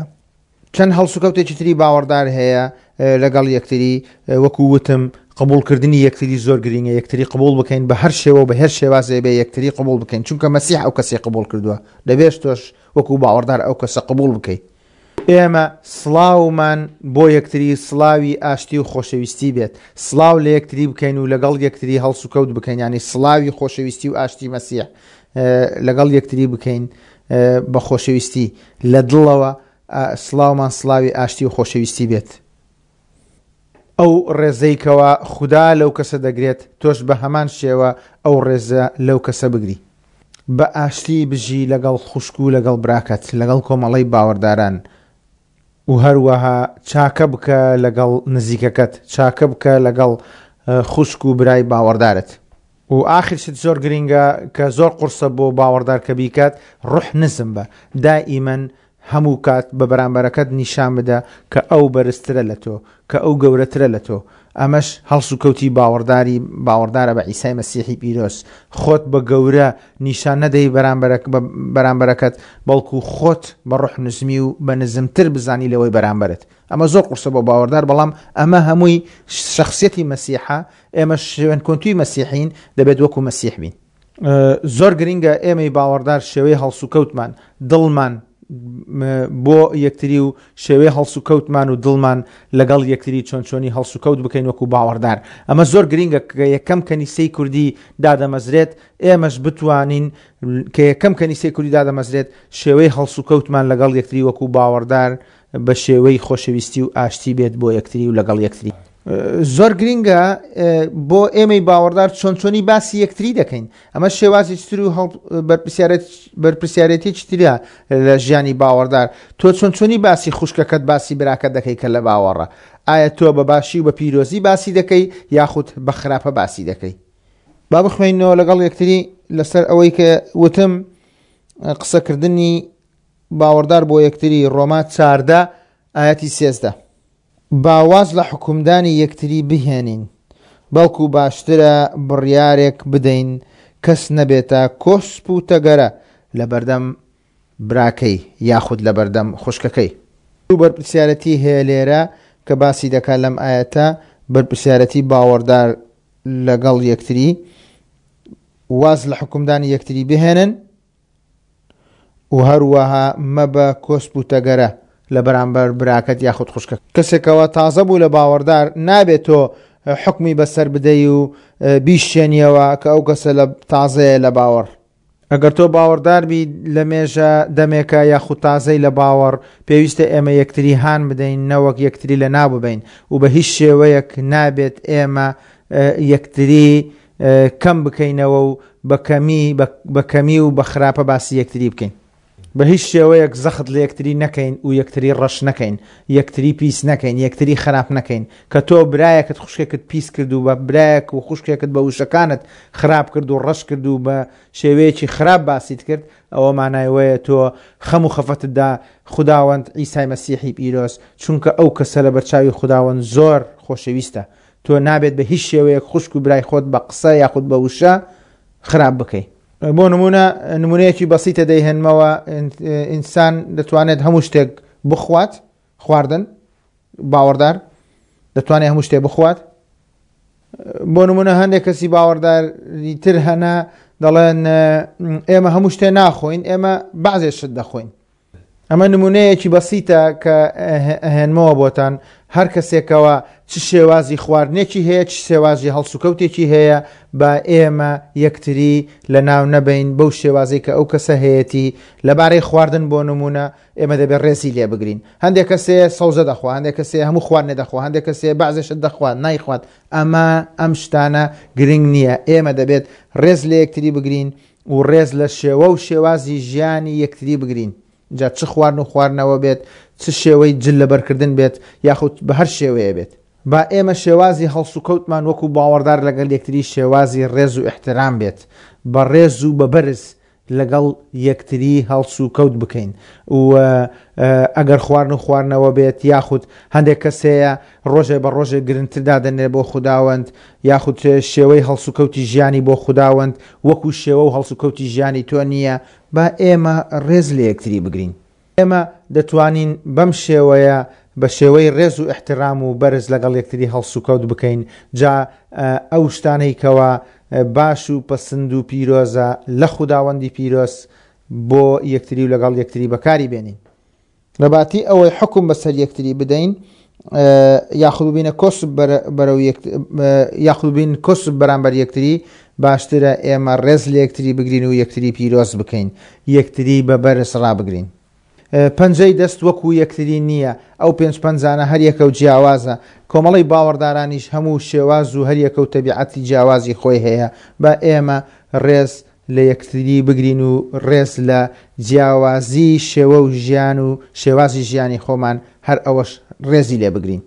چەند هەڵسوکەوتێکی تری باوەڕدار هەیە لەگەڵ یەکتری. وەکو وتم قبوڵکردنی یەکتری زۆر گرنگە، یەکتری قبوڵ بکەین بە هەر شێوە و بە هەر شێوازێ بێ یەکتری قبوڵ بکەین، چونکە مەسیح ئەو کەسەی قبوڵ کردووە، دەبێت تۆش وەکو باوەڕدار ئەو کەسە قبوڵ بکەیت. ئێمە سڵاومان بۆ یەکتری سڵاوی ئاشتی و خۆشەویستی بێت، سڵاو لە یەکتری بکەین و لەگەڵ یەکتری هەڵسوکەوت بکەین، یعنی سڵاوی خۆشەویستی و ئاشتی مەسیح لەگەڵ یەکتری بکەین بە خۆشەویستی لە دڵەوە، سڵاومان سڵاوی ئاشتی و خۆشەویستی بێت. ئەو ڕێزەیکەوە خودا لەو کەسە دەگرێت، تۆش بە هەمان شێوە ئەو ڕێزە لەو کەسە بگری. بە ئاشتی بژی لەگەڵ خوشک و لەگەڵ براکەت، لەگەڵ کۆمەڵەی باوەڕداران، و هەروەها چاکە بکە لەگەڵ نزیکەکەت، چاکە بکە لەگەڵ خوشک و برای باوەڕدارت. و ئاخر شت زۆر گرنگە کە زۆر قورسە بۆ باوەڕدار کە بیکات، ڕوح نزم بە، دائیمەن هەموو کات بە بەرامبەرەکەت نیشان بدە کە ئەو بەرزترە لە تۆ، کە ئەو گەورەترە لە تۆ. ئەمەش هەڵسوکەوتی باوەڕداری باوەڕدارە بە عیسای مەسیحی پیرۆز. خۆت بە گەورە نیشان نەدەی بەرامبەرەکەت، بەڵکو خۆت بە ڕوح نزمی و بە نزمتر بزانی لەوەی بەرامبەرت. ئەمە زۆر قورسە بۆ باوەڕدار، بەڵام ئەمە هەمووی شخصیەتی مەسیحە. ئێمە شوێنکەوتووی مەسیحین، دەبێت وەکو مەسیح بین. زۆر گرنگە ئێمەی باوەڕدار شێوەی هەڵسوکەوتمان، دڵمان بۆ یەکتری و شێوەی هەڵسوکەوتمان و دڵمان لەگەڵ یەکتری چۆن چۆنی هەڵسوکەوت بکەین وەکو باوەڕدار. ئەمە زۆر گرنگە کە یەکەم کەنیسەی کوردی دادەمەزرێت، ئێمەش بتوانین کە یەکەم کەنیسەی کوردی دادەمەزرێت شێوەی هەڵسوکەوتمان لەگەڵ یەکتری وەکو باوەڕدار بە شێوەی خۆشەویستی و ئاشتی بێت بۆ یەکتری و لەگەڵ یەکتری. زۆر گرنگە بۆ ئێمەی باوەڕدار چۆن چۆنی باسی یەکتری دەکەین. ئەمە شێوازی تر و بەرپرسیارێتیی ترە لە ژیانی باوەڕدار. تۆ چۆن چۆنی باسی خوشکەکەت، باسی براکەت دەکەی کە لە باوەڕە؟ ئایا تۆ بە باشی و بە پیرۆزی باسی دەکەی یاخود بە خراپە باسی دەکەی؟ با بخوێنەوە لەگەڵ یەکتری لەسەر ئەوەی کە وتم قسەکردنی باوەڕدار بۆ یەکتری، ڕۆما چاردە ئاەتی سێزدە. باواز لە حکومدانی یەکتری بهێنین، بەڵکو باشترە بڕیارێک بدەین کەس نەبێتە کۆسپ و تەگەرە لە بەردەم براکەی یاخود لە بەردەم خوشکەکەی. دوو بەرپرسیارەتی هەیە لێرە کە باسی دەکات لەم ئاەتە، بەرپرسیارەتی باوەڕدار لەگەڵ یەکتری، واز لە حکومدانی یەکتری بهێنن و هەروەها مەبە کۆسپ و تەگەرە لە بەرامبەر براکەت یاخود خوشکە. کەسێکەوە تازە بوو لە باوەڕدار نابێت تۆ حکمی بەسەر بدەی و بیشێنیەوە کە ئەو کەسە لە تازەیە لە باوەڕ. ئەگەر تۆ باوەڕدار بی لە مێژە دەمێکە یاخود تازەی لە باوەڕ، پێویستە ئێمە یەکتری هان بدەین نەوەک یەکتری لە ناو ببین و بە هیچ شێوەیەک نابێت ئێمە یەکتری کەم بکەینەوە و بە کەمی و بە خراپە باسی یەکتری بکەین. بە هیچ شێوەیەک زەخت لە یەکتری نەکەین و یەکتری ڕەش نەکەین، یەکتری پیس نەکەین، یەکتری خراپ نەکەین. کە تۆ برایەکت خوشکێکت پیس کرد و بە برایەک و خوشکێکت بە وشەکانت خراپ کرد و ڕەش کرد و بە شێوەیەکی خراپ باسیت کرد، ئەوە مانای وەیە تۆ خەم و خەفەتتدا خوداوەند عیسای مەسیحی پیرۆز، چونکە ئەو کەسە لە بەرچاوی خوداوەند زۆر خۆشەویستە. تۆ نابێت بە هیچ شێوەیەک خوشک و برای خۆت بە قسە یاخود بە وشە خراپ بکەیت. بۆ نمونە نمونەیەکی بەسیتە دەیهێنمەوە، ئینسان دەتوانێت هەموو شتێک بخوات، خواردن باوەڕدار دەتوانێت هەموو شتێک بخوات، بۆ نمونە هەندێک کەسی باوەڕداری تر هەنە دەڵێن ئێمە هەموو شتێ ناخۆین، ئێمە بەعزێ شت دەخۆین. ئەمە نمونەیەکی بەسیتە کە ئەهێنمەوە بۆتان. هەر کەسێکەوە چ شێوازی خواردنێکی هەیە، چ شێوازی هەڵسوکەوتێکی هەیە، با ئێمە یەکتری لە ناو نەبین بەو شێوازەی کە ئەو کەسە هەیەتی. لەبارەی خواردن بۆ نمونە ئێمە دەبێت ڕێزی لێ بگرین. هەندێک کەسێ سەوزە دەخوا، هەندێک کەسێ هەموو خواردنێ دەخوا، هەندێک کەسێ بەعزێ شت دەخوات نایخوات. ئەمە ئەم شتانە گرنگ نییە. ئێمە دەبێت ڕێز لە یەکتری بگرین و ڕێز لە شێوە و شێوازی ژیانی یەکتری بگرین. جا چ خواردن و خواردنەوە بێت، چ شێوەی جل لەبەرکردن بێت، یاخود بە هەر شێوەیە بێت. با ئێمە شێوازی هەڵسوکەوتمان وەکو باوەڕدار لەگەڵ یەکتری شێوازی ڕێز و ئیحترام بێت، بە ڕێز و بە بەرز لەگەڵ یەکتری هەڵسوکەوت بکەین. و ئەگەر خواردن و خواردنەوە بێت، یاخود هەندێک کەسەیە ڕۆژێ بە ڕۆژێ گرنگتر دادەنێ بۆ خوداوەند، یاخود شێوەی هەڵسوکەوتی ژیانی بۆ خوداوەند وەکو شێوە و هەڵسوکەوتی ژیانی تۆ نییە، با ئێمە ڕێز لە یەکتری بگرین. ئێمە دەتوانین بەم شێوەیە بە شێوەی ڕێز و ئیحترام و بەرز لەگەڵ یەکتری هەڵسوکەوت بکەین. جا ئەو شتانەی کەوا باش و پەسند و پیرۆزە لە خوداوەندی پیرۆز بۆ یەکتری و لەگەڵ یەکتری بەکاری بێنین. لەباتی ئەوەی حکم بەسەر یەکتری بدەین، یاخود ببینە کۆسپ بەرەو یاخود ببین کۆسپ بەرامبەر یەکتری، باشترە ئێمە ڕێز لە یەکتری بگرین و یەکتری پیرۆز بکەین، یەکتری بە بەرز ڕابگرین. پەنجەی دەست وەکو یەکتری نییە، ئەو پێنج پەنجانە هەر یەکە و جیاوازە. کۆمەڵی باوەڕدارانیش هەموو شێواز و هەر یەکە و تەبیعەتی جیاوازی خۆی هەیە. با ئێمە ڕێز لە یەکتری بگرین و ڕێز لە جیاوازی شێوە و ژیان و شێوازی ژیانی خۆمان هەر ئەوەش ڕێزی لێ بگرین.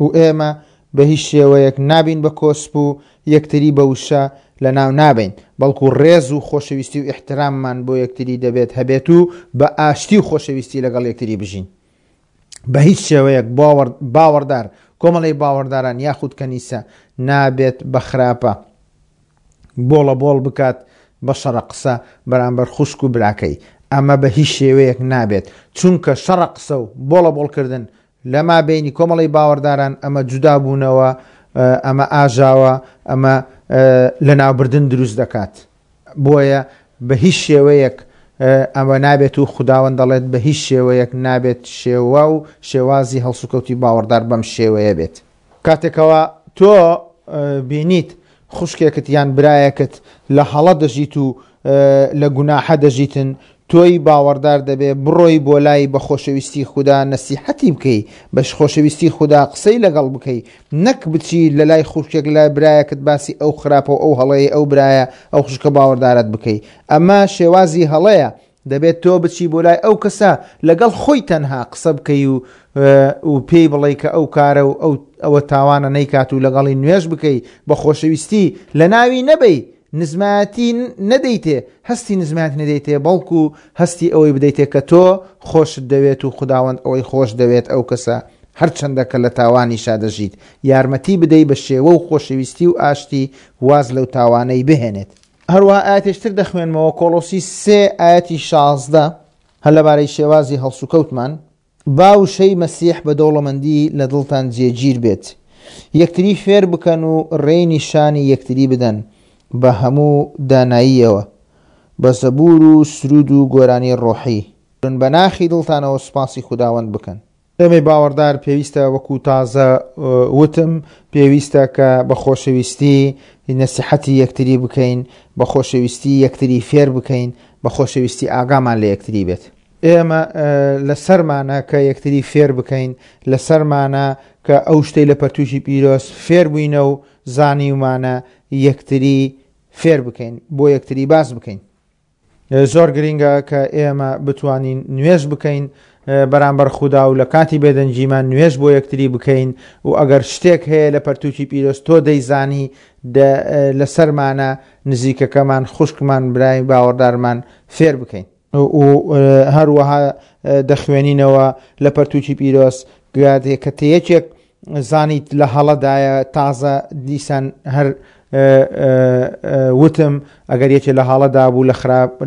و ئێمە بە هیچ شێوەیەک نابین بە کۆسپ و یەکتری بە وشە لە ناو نابین، بەڵکو ڕێز و خۆشەویستی و ئیحتراممان بۆ یەکتری دەبێت هەبێت و بە ئاشتی و خۆشەویستی لەگەڵ یەکتری بژین. بە هیچ شێوەیەک باوەڕدار، کۆمەڵی باوەڕداران یاخود کەنیسە نابێت بە خراپە بۆڵە بۆڵ بکات بە شەڕە قسە بەرامبەر خوشک و براکەی. ئەمە بە هیچ شێوەیەک نابێت، چونکە شەڕە قسە و بۆڵە بۆڵکردن لەما بینی کۆمەڵی باوەڕداران ئەمە جودا بوونەوە، ئەمە ئاژاوە، ئەمە لەناوبردن دروست دەکات. بۆیە بە هیچ شێوەیەک ئەمە نابێت و خوداوەند دەڵێت بە هیچ شێوەیەک نابێت شێوە و شێوازی هەڵسوکەوتی باوەڕدار بەم شێوەیە بێت. کاتێکەوە تۆ بینیت خوشکێکت یان برایەکت لە هەڵە دەژیت و لە گوناحە دەژیتن، تۆی باوەڕدار دەبێ بڕۆی بۆ لای بە خۆشەویستی خودا نەسیحەتی بکەی، بە خۆشەویستی خودا قسەی لەگەڵ بکەی، نەک بچی لە لای خوشکێک لای برایەکت باسی ئەو خراپە و ئەو هەڵەیە ئەو برایە ئەو خوشکە باوەڕدارت بکەی. ئەمە شێوازی هەڵەیە. دەبێت تۆ بچی بۆ لای ئەو کەسە لەگەڵ خۆی تەنها قسە بکەی و و پێی بڵێ کە ئەو کارە و ئەو ئەوە تاوانە نەیکات و لەگەڵی نوێژ بکەی بە خۆشەویستی، لە ناوی نەبەی، نزمایەتی نەدەیتێ، هەستی نزمایەتی نەدەیتێ، بەڵکو هەستی ئەوەی بدەیتێ کە تۆ خۆشت دەوێت و خوداوەند ئەوەی خۆش دەوێت ئەو کەسە هەرچەندە کە لە تاوانیشا دەژیت، یارمەتی بدەی بە شێوە و خۆشەویستی و ئاشتی واز لەو تاوانەی بهێنێت. هەروەها ئاەتێشتر دەخوێنمەوە، کۆلۆسی سێ ئاەتی شازدە، هەر لەبارەی شێوازی هەڵسوکەوتمان، با وشەی مەسیح بە دەوڵەمەندی لە دڵتان جێگیر بێت، یەکتری فێر بکەن و ڕێی نیشانی یەکتری بدەن بە هەموو داناییەوە، بە زەبور و سرود و گۆرانی ڕۆحی، بە ناخی دڵتانەوە سوپاسی خوداوەند بکەن. ئێمەی باوەڕدار پێویستە وەکو تازە وتم، پێویستە کە بە خۆشەویستی نەسیحەتی یەکتری بکەین، بە خۆشەویستی یەکتری فێر بکەین، بە خۆشەویستی ئاگامان لە یەکتری بێت. ئێمە لەسەرمانە کە یەکتری فێر بکەین، لەسەرمانە کە ئەو شتەی لە پەرتووکی پیرۆز فێر بووینە و زانیومانە یەکتری فێر بکەین، بۆ یەکتری باس بکەین. زۆر گرنگە کە ئێمە بتوانین نوێژ بکەین بەرامبەر خودا و لە کاتی بێدەنگیمان نوێژ بۆ یەکتری بکەین و ئەگەر شتێک هەیە لە پەرتووکی پیرۆز تۆ دەیزانی لەسەرمانە نزیکەکەمان، خوشکمان، برای باوەڕدارمان فێر بکەین. و هەروەها دەخوێنینەوە لە پەرتووکی پیرۆز کە تێیەکێک زانیت لە هەڵەدایە، تازە دیسان هەر وتم ئەگەر یەکێ لە هەڵەدا بوو،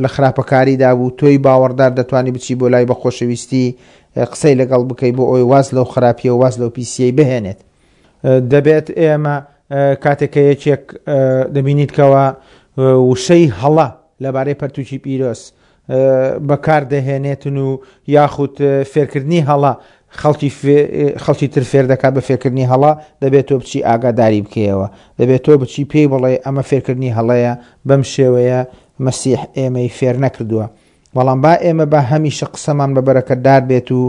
لە خراپەکاریدا بوو، تۆی باوەڕدار دەتوانی بچی بۆ لای بە خۆشەویستی قسەی لەگەڵ بکەی بۆ ئەوی واز لەو خراپیە و واز لەو پیسیەی بهێنێت. دەبێت ئێمە کاتێک کە یەکێک دەبینیت کەەوە وشەی هەڵە لەبارەی پەرتوکی پیرۆز بەکار دەهێنێتن و یاخود فێرکردنی هەڵە خەڵکی خەڵکی تر فێر دەکات بە فێرکردنی هەڵە، دەبێت تۆ بچی ئاگاداری بکەیەوە، دەبێت تۆ بچی پێی بڵێ ئەمە فێرکردنی هەڵەیە، بەم شێوەیە مەسیح ئێمەی فێر نەکردووە. بەڵام با ئێمە با هەمیشە قسەمان بە بەرەکەتدار بێت و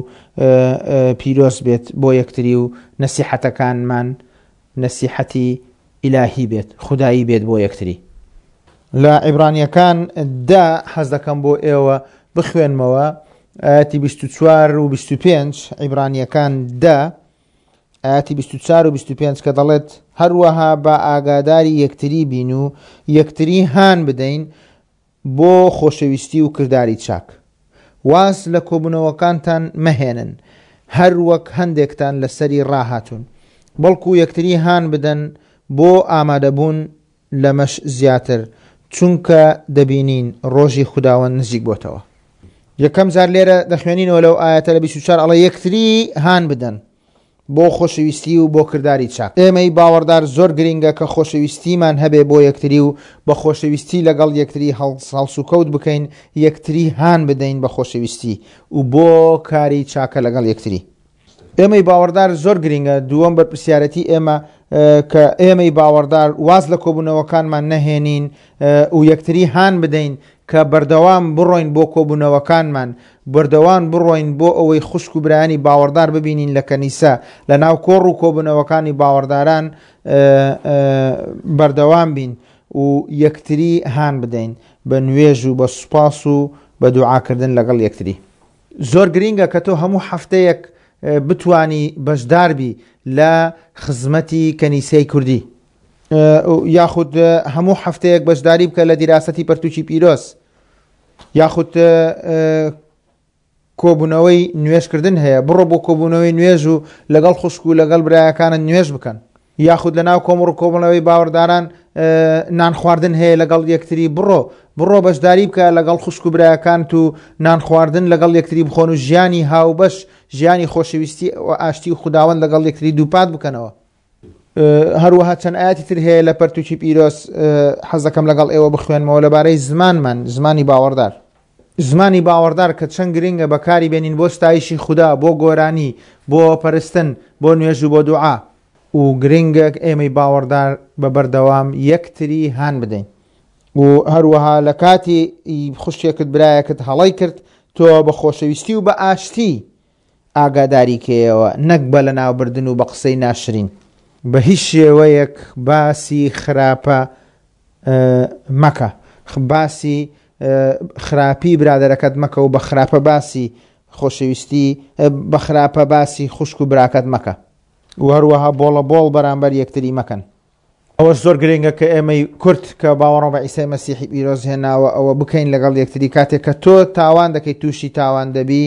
پیرۆز بێت بۆ یەکتری و نەسیحەتەکانمان نەسیحەتی ئیلاهی بێت، خودایی بێت بۆ یەکتری. لە عیبرانیەکان دا حەز دەکەم بۆ ئێوە بخوێنمەوە ئاەتی بیست و چوار و بیست و پێنج، عیبرانیەکان دا ئاەتی بیست و چوار و بیست و پێنج کە دەڵێت هەروەها با ئاگاداری یەکتری بین و یەکتری هان بدەین بۆ خۆشەویستی و کرداری چاک. واز لە کۆبوونەوەکانتان مەهێنن هەر وەک هەندێکتان لەسەری ڕاهاتوون، بەڵکو یەکتری هان بدەن بۆ ئامادەبوون لەمەش زیاتر، چونکە دەبینین ڕۆژی خوداوەند نزیک بۆتەوە. یەکەم جار لێرە دەخوێنینەوە لەو ئاەتە لە بیست و چوار ئەڵێ یەکتری هان بدەن بۆ خۆشەویستی و بۆ کرداری چاک. ئێمەی باوەڕدار زۆر گرنگە کە خۆشەویستیمان هەبێ بۆ یەکتری و بە خۆشەویستی لەگەڵ یەکتری هەڵسوکەوت بکەین، یەکتری هان بدەین بە خۆشەویستی و بۆ کاری چاکە لەگەڵ یەکتری. ئێمەی باوەڕدار زۆر گرنگە. دووەم بەرپرسیارەتی ئێمە کە ئێمەی باوەڕدار واز لە کۆبوونەوەکانمان نەهێنین و یەکتری هان بدەین کە بەردەوام بڕۆین بۆ کۆبوونەوەکانمان، بەردەوام بڕۆین بۆ ئەوەی خوشک و برایانی باوەڕدار ببینین لە کەنیسە، لە ناو کۆڕ و کۆبوونەوەکانی باوەڕداران بەردەوام بین و یەکتری هان بدەین بە نوێژ و بە سوپاس و بە دوعاکردن لەگەڵ یەکتری. زۆر گرنگە کە تۆ هەموو هەفتەیەک بتوانی بەشداربی لە خزمەتی کەنیسەی کوردی، یاخود هەموو هەفتەیەک بەشداری بکە لە دیراسەتی پەرتوکی پیرۆز، یاخود کۆبوونەوەی نوێژکردن هەیە، بڕۆ بۆ کۆبوونەوەی نوێژ و لەگەڵ خوشک و لەگەڵ برایەکانت نوێژ بکەن، یاخود لە ناو کۆمەڵ و کۆبوونەوەی باوەڕداران نان خواردن هەیە لەگەڵ یەکتری، بڕۆ بڕۆ بەشداری بکە لەگەڵ خوشک و برایەکانت و نان خواردن لەگەڵ یەکتری بخۆن و ژیانی هاوبەش، ژیانی خۆشەویستی و ئاشتی و خوداوەند لەگەڵ یەکتری دووپات بکەنەوە. هەروەها چەند ئاەتی تر هەیە لە پەرتوکی پیرۆز حەز دەکەم لەگەڵ ئێوە بخوێنمەوە لەبارەی زمانمان، زمانی باوەڕدار. زمانی باوەڕدار کە چەند گرنگە بەکاری بێنین بۆ ستایشی خودا، بۆ گۆرانی، بۆ پەرستن، بۆ نوێژ و بۆ دوعا. و گرنگە ئێمەی باوەڕدار بە بەردەوام یەکتری هان بدەین. و هەروەها لە کاتی خوشکێکت برایەکت هەڵەی کرد، تۆ بە خۆشەویستی و بە ئاشتی ئاگاداری کەیەوە، نەک بە لەناوبردن و بە قسەی ناشرین. بە هیچ شێوەیەک باسی خراپە مەکە، باسی خراپی برادەرەکەت مەکە و بە خراپە باسی خۆشەویستی، بە خراپە باسی خوشک و براکەت مەکە. و هەروەها بۆڵە بۆڵ بەرامبەر یەکتری مەکەن. ئەوە زۆر گرنگە کە ئێمەی کورد کە باوەڕ بە عیسای مەسیحی پیرۆز هێناوە ئەوە بکەین لەگەڵ یەکتری. کاتێک کە تۆ تاوان دەکەیت تووشی تاوان دەبی،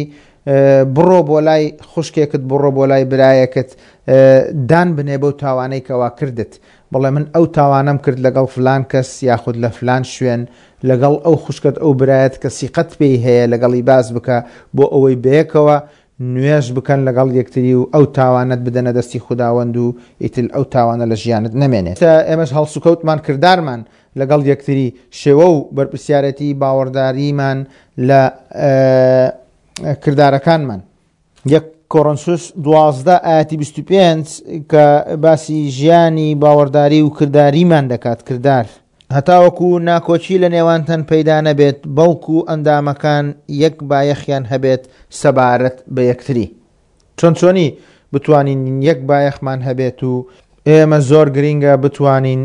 بڕۆ بۆ لای خوشکێکت، بڕۆ بۆ لای برایەکت، دان بنێ بەو تاوانەی کەوا کردت، بڵێ من ئەو تاوانەم کرد لەگەڵ فلان کەس یاخود لە فلان شوێن، لەگەڵ ئەو خوشکت ئەو برایەت کە سیقەت پێی هەیە لەگەڵی باز بکە بۆ ئەوەی بەیەکەوە نوێژ بکەن لەگەڵ یەکتری و ئەو تاوانەت بدەنە دەستی خوداوەند و ئیتر ئەو تاوانە لە ژیانت نەمێنێت. ئێمەش هەڵسوکەوتمان کردارمان لەگەڵ یەکتری، شێوە و بەرپرسیارەتی باوەڕداریمان لە کردارەکانمان. یەک کۆرنسوس دوازدە ئاەتی بیست و پێنج کە باسی ژیانی باوەڕداری و کرداریمان دەکات، کردار هەتاوەکو ناکۆکی لە نێوانتان پەیدا نەبێت، بەڵکو ئەندامەکان یەک بایەخیان هەبێت سەبارەت بە یەکتری. چۆن چۆنی بتوانین یەک بایەخمان هەبێت و ئێمە زۆر گرنگە بتوانین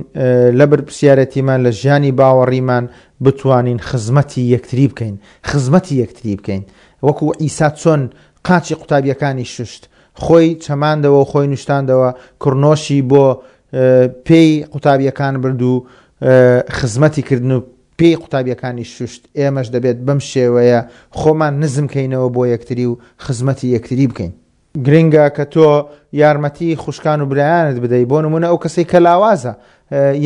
لە بەرپرسیارەتیمان لە ژیانی باوەڕیمان بتوانین خزمەتی یەکتری بکەین، خزمەتی یەکتری بکەین. وەکو عیسا چۆن قاچی قوتابیەکانی شوشت، خۆی چەماندەوە و خۆی نوشتاندەوە، کڕنۆشی بۆ پێی قوتابیەکان برد و خزمەتی کردن و پێی قوتابیەکانی شوشت. ئێمەش دەبێت بەم شێوەیە خۆمان نزم کەینەوە بۆ یەکتری و خزمەتی یەکتری بکەین. گرنگە کە تۆ یارمەتی خوشکان و برایانت بدەیت، بۆ نمونە ئەو کەسەی کە لاوازە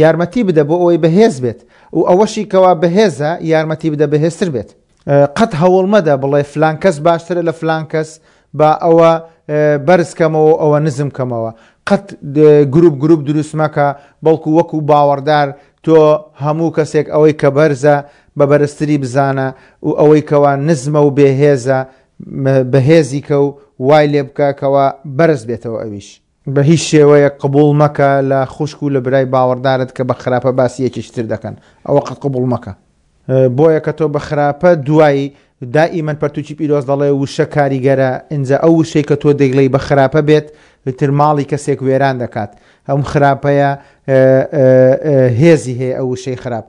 یارمەتی بدە بۆ ئەوەی بەهێز بێت و ئەوەشی کەوا بەهێزە یارمەتی بدە بەهێزتر بێت. قەت هەوڵ مەدە بڵێ فلان کەس باشترە لە فلان کەس، با ئەوە بەرز کەمەوە ئەوە نزم کەمەوە. قەت گروپ گروپ دروست مەکە، بەڵکو وەکو باوەڕدار تۆ هەموو کەسێک ئەوەی کە بەرزە بە بەرزتری بزانە و ئەوەی کەوا نزمە و بێهێزە بەهێزی کە و وای لێ بکە کەوا بەرز بێتەوە ئەویش. بە هیچ شێوەیە قبوڵ مەکە لە خوشک و لە برای باوەڕدارت کە بە خراپە باسی یەکێکی تر دەکەن، ئەوە قەت قبوڵ مەکە. بۆیە کە تۆ بە خراپە دوایی دائیمەن پەرتوکی پیرۆز دەڵێ وشە کاریگەرە، ئینجا ئەو وشەی کە تۆ دەیڵێی بە خراپە بێت تر ماڵی کەسێک وێران دەکات. ئەم خراپەیە هێزی هەیە ئەو وشەی خراپ.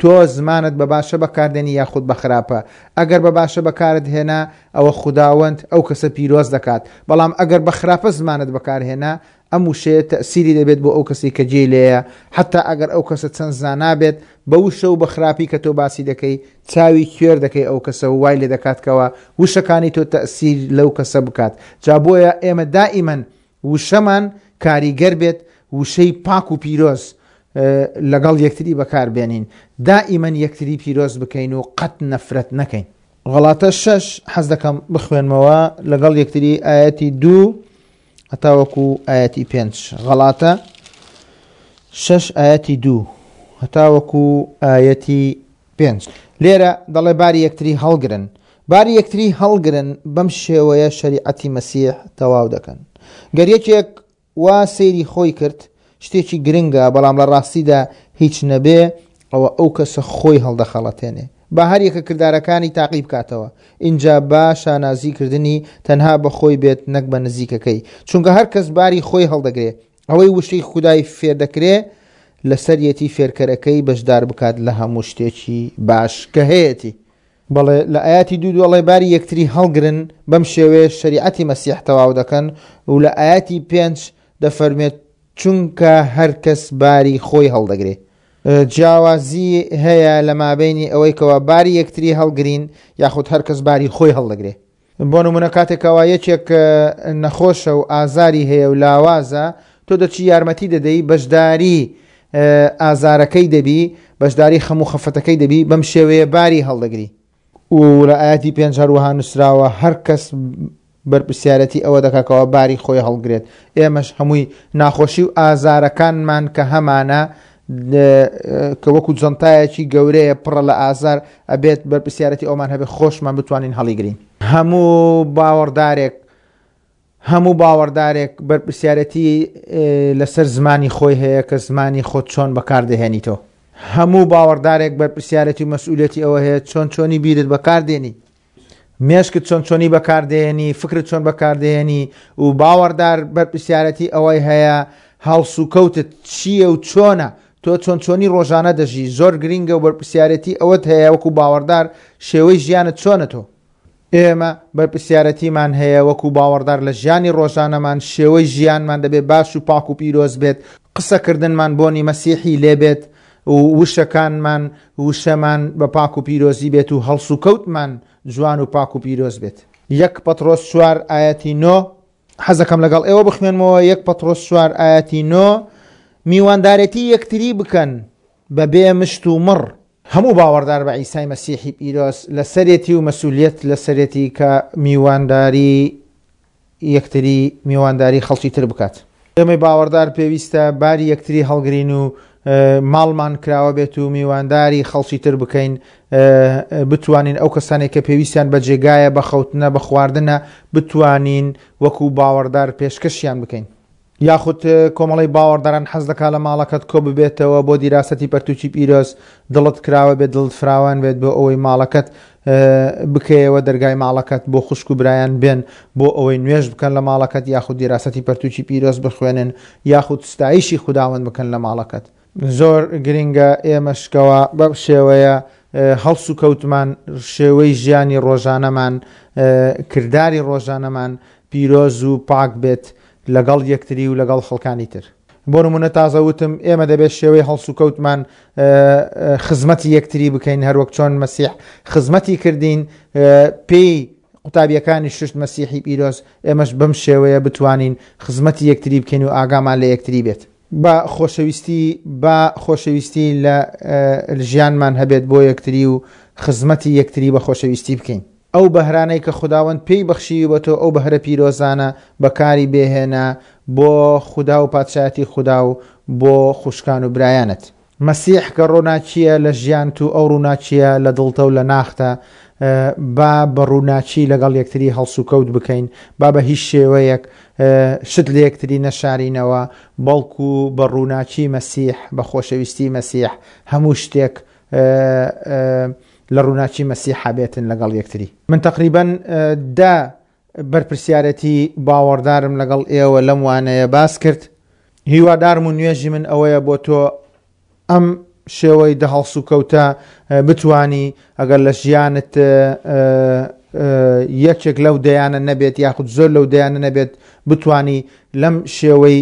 تۆ زمانت بە باشە بەکاردێنی یاخود بە خراپە. ئەگەر بە باشە بەکارت هێنا ئەوە خوداوەند ئەو کەسە پیرۆز دەکات، بەڵام ئەگەر بە خراپە زمانت بەکارهێنا ئەم وشەیە تەسیری دەبێت بۆ ئەو کەسی کە جێی لێیە، حتا ئەگەر ئەو کەسە چەند زانا بێت بە وشە و بە خراپی کە تۆ باسی دەکەی چاوی کوێر دەکەی ئەو کەسە و وای لێ دەکاتکەوە وشەکانی تۆ تەسیر لەو کەسە بکات. جا بۆیە ئێمە دائیمەن وشەمان کاریگەر بێت، وشەی پاک و پیرۆز لەگەڵ یەکتری بەکاربێنین، دائیمەن یەکتری پیرۆز بکەین و قەت نەفرەت نەکەین. غەڵاتە شەش حەز دەکەم بخوێنمەوە لەگەڵ یەکتری ئایەتی دوو هەتاوەکو ئایەتی پێنج. غەڵاتە شەش ئایەتی دوو هەتاوەکو ئایەتی پێنج. لێرە دەڵێ باری یەکتری هەڵگرن، باری یەکتری هەڵگرن بەم شێوەیە شەریعەتی مەسیح تەواو دەکەن. گەر یەکێک وا سەیری خۆی کرد شتێکی گرنگە، بەڵام لە ڕاستیدا هیچ نەبێ ئەوە ئەو کەسە خۆی هەڵدەخەڵەتێنێ. با هەر یەکە کردارەکانی تاقی بکاتەوە، ئینجا با شانازیکردنی تەنها بە خۆی بێت نەک بە نزیکەکەی، چونکە هەر کەس باری خۆی هەڵدەگرێ. ئەوەی وشەی خودای فێردەکرێ لەسەریەتی فێرکەرەکەی بەشدار بکات لە هەموو شتێکی باش کە هەیەتی. بەڵێ لە ئاەتی دوو دوڵێ باری یەکتری هەڵگرن بەم شێوەیە شەریعەتی مەسیح تەواو دەکەن، و لە ئاەتی پێنج دەفەرمێت چونکە هەر کەس باری خۆی هەڵدەگرێ. جیاوازی هەیە لە مابینی ئەوەی کەوا باری یەکتری هەڵگرین یاخود هەر کەس باری خۆی هەڵدەگرێ. بۆ نمونە کاتێکەوە یەکێک نەخۆشە و ئازاری هەیە و لاوازە، تۆ دەچی یارمەتی دەدەی، بەشداری ئازارەکەی دەبی، بەشداری خەم و خەفەتەکەی دەبی، بەم شێوەیە باری هەڵدەگری. و لە ئاەتی پێنج هەروەها نووسراوە هەر کەس بەرپرسیارەتی ئەوە دەکاکەوە باری خۆی هەڵگرێت. ئێمەش هەمووی ناخۆشی و ئازارەکانمان کە هەمانە کە وەکو جەنتایەکی گەورەیە پڕە لە ئازار، ئەبێت بەرپرسیارەتی ئەومان هەبێت خۆشمان بتوانین هەڵیگرین. هەموو باوەڕدارێک هەموو باوەڕدارێک بەرپرسیارەتی لەسەر زمانی خۆی هەیە کە زمانی خۆت چۆن بەکاردەهێنیتەوە. هەموو باوەڕدارێک بەرپرسیارەتی و مەسئولیەتی ئەوە هەیە چۆن چۆنی بیرت بەکاردێنی، مێشکت چۆن چۆنی بەکاردێنی، فکرت چۆن بەکاردێنی. و باوەڕدار بەرپرسیارەتی ئەوەی هەیە هەڵسوکەوتت چییە و چۆنە، تۆ چۆن چۆنی ڕۆژانە دەژی. زۆر گرنگە و بەرپرسیارەتی ئەوەت هەیە وەکو باوەڕدار شێوەی ژیانت چۆنە. تۆ ئێمە بەرپرسیارەتیمان هەیە وەکو باوەڕدار لە ژیانی ڕۆژانەمان شێوەی ژیانمان دەبێت باش و پاک و پیرۆز بێت، قسەکردنمان بۆنی مەسیحی لێبێت و وشەکانمان وشەمان بە پاک و پیرۆزی بێت و هەڵسوکەوتمان جوان و پاک و پیرۆز بێت. یەک پەترۆس چوار ئایەتی نۆ حەزەکەم لەگەڵ ئێوە بخوێنمەوە. یەک پەترۆس چوار ئایەتی نۆ میواندارێتی یەکتری بکەن بەبێ مشت و مڕ. هەموو باوەڕدار بە عیسای مەسیحی پیرۆز لەسەرێتی و مەسئولیەت لەسەرێتی کە میوانداری یەکتری میوانداری خەڵکی تر بکات. ئێمەی باوەڕدار پێویستە باری یەکتری هەڵگرین و ماڵمان کراوە بێت و میوانداری خەڵکی تر بکەین، بتوانین ئەو کەسانێک کە پێویستیان بە جێگایە، بە خەوتنە، بە خواردنە، بتوانین وەکو باوەڕدار پێشکەشیان بکەین. یاخود کۆمەڵی باوەڕداران حەز دەکا لە ماڵەکەت کۆ ببێتەوە بۆ دیراسەتی پەرتوکی پیرۆز، دڵت کراوە بێت، دڵت فراوان بێت بۆ ئەوەی ماڵەکەت بکەیەوە، دەرگای ماڵەکەت بۆ خوشک و برایان بێن بۆ ئەوەی نوێژ بکەن لە ماڵەکەت، یاخود دیراسەتی پەرتوکی پیرۆز بخوێنن، یاخود ستایشی خوداوەند بکەن لە ماڵەکەت. زۆر گرنگە ئێمەشکەوە بەم شێوەیە هەڵس و کەوتمان، شێوەی ژیانی ڕۆژانەمان، کرداری ڕۆژانەمان پیرۆز و پاک بێت لەگەڵ یەکتری و لەگەڵ خەڵکانی تر. بۆ نمونە تازە وتم ئێمە دەبێت شێوەی هەڵس و کەوتمان خزمەتی یەکتری بکەین، هەروەک چۆن مەسیح خزمەتی کردین پێی قوتابیەکانی ششت مەسیحی پیرۆز، ئێمەش بەم شێوەیە بتوانین خزمەتی یەکتری بکەین و ئاگامان لە یەکتری بێت. با خۆشەویستی با خۆشەویستی لە ژیانمان هەبێت بۆ یەکتری و خزمەتی یەکتری بە خۆشەویستی بکەین. ئەو بەهرانەی کە خوداوەند پێی بەخشیوی بە تۆ، ئەو بەهرە پیرۆزانە بەکاری بێهێنە بۆ خودا و پادشایەتی خودا و بۆ خوشکان و برایانت. مەسیح کە ڕووناکییە لە ژیانت و ئەو ڕووناکییە لە دڵتە و لە ناختە، با بە ڕووناکی لەگەڵ یەکتری هەڵسوکەوت بکەین، با بە هیچ شێوەیەک شت لە یەکتری نەشارینەوە، بەڵکو بە ڕووناکی مەسیح، بە خۆشەویستی مەسیح هەموو شتێک لە ڕووناکی مەسیح بێتن لەگەڵ یەکتری. من تقریبا دە بەرپرسیارەتی باوەڕدارم لەگەڵ ئێوە لەم وانەیە باس کرد. هیوادارم و نوێژی من ئەوەیە بۆ تۆ ئەم شێوەی دە هەڵسوکەوتە بتوانی ئەگەر لە ژیانت یەکێک لەو دەیانە نەبێت یاخود زۆر لەو دەیانە نەبێت، بتوانی لەم شێوەی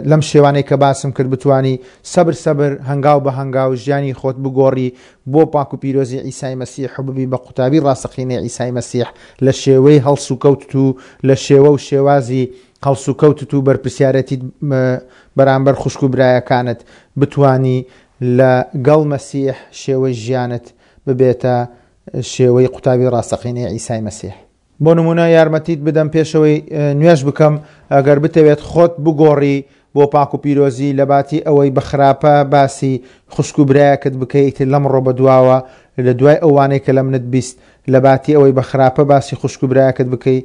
لەم شێوانەی کە باسم کرد بتوانی سەبر سەبر هەنگاو بە هەنگاو ژیانی خۆت بگۆڕی بۆ پاک و پیرۆزی عیسای مەسیح و ببی بە قوتابی ڕاستەقینەی عیسای مەسیح لە شێوەی هەڵسوکەوتت و لە شێوە و شێوازی هەڵسوکەوتت و بەرپرسیارەتیت بەرامبەر خوشک و برایەکانت بتوانی لەگەڵ مەسیح شێوەی ژیانت ببێتە شێوەی قوتابی ڕاستەقینەی عیسای مەسیح. بۆ نمونە یارمەتیت بدەم پێشەوەی نوێژ بکەم، ئەگەر بتەوێت خۆت بگۆڕی بۆ پاک و پیرۆزی لە باتی ئەوەی بە خراپە باسی خوشک و برایەکت بکەیت لەمڕۆ بەدواوە لە دوای ئەوانەی کە لە منت بیست، لە باتی ئەوەی بە خراپە باسی خوشک و برایەکت بکەی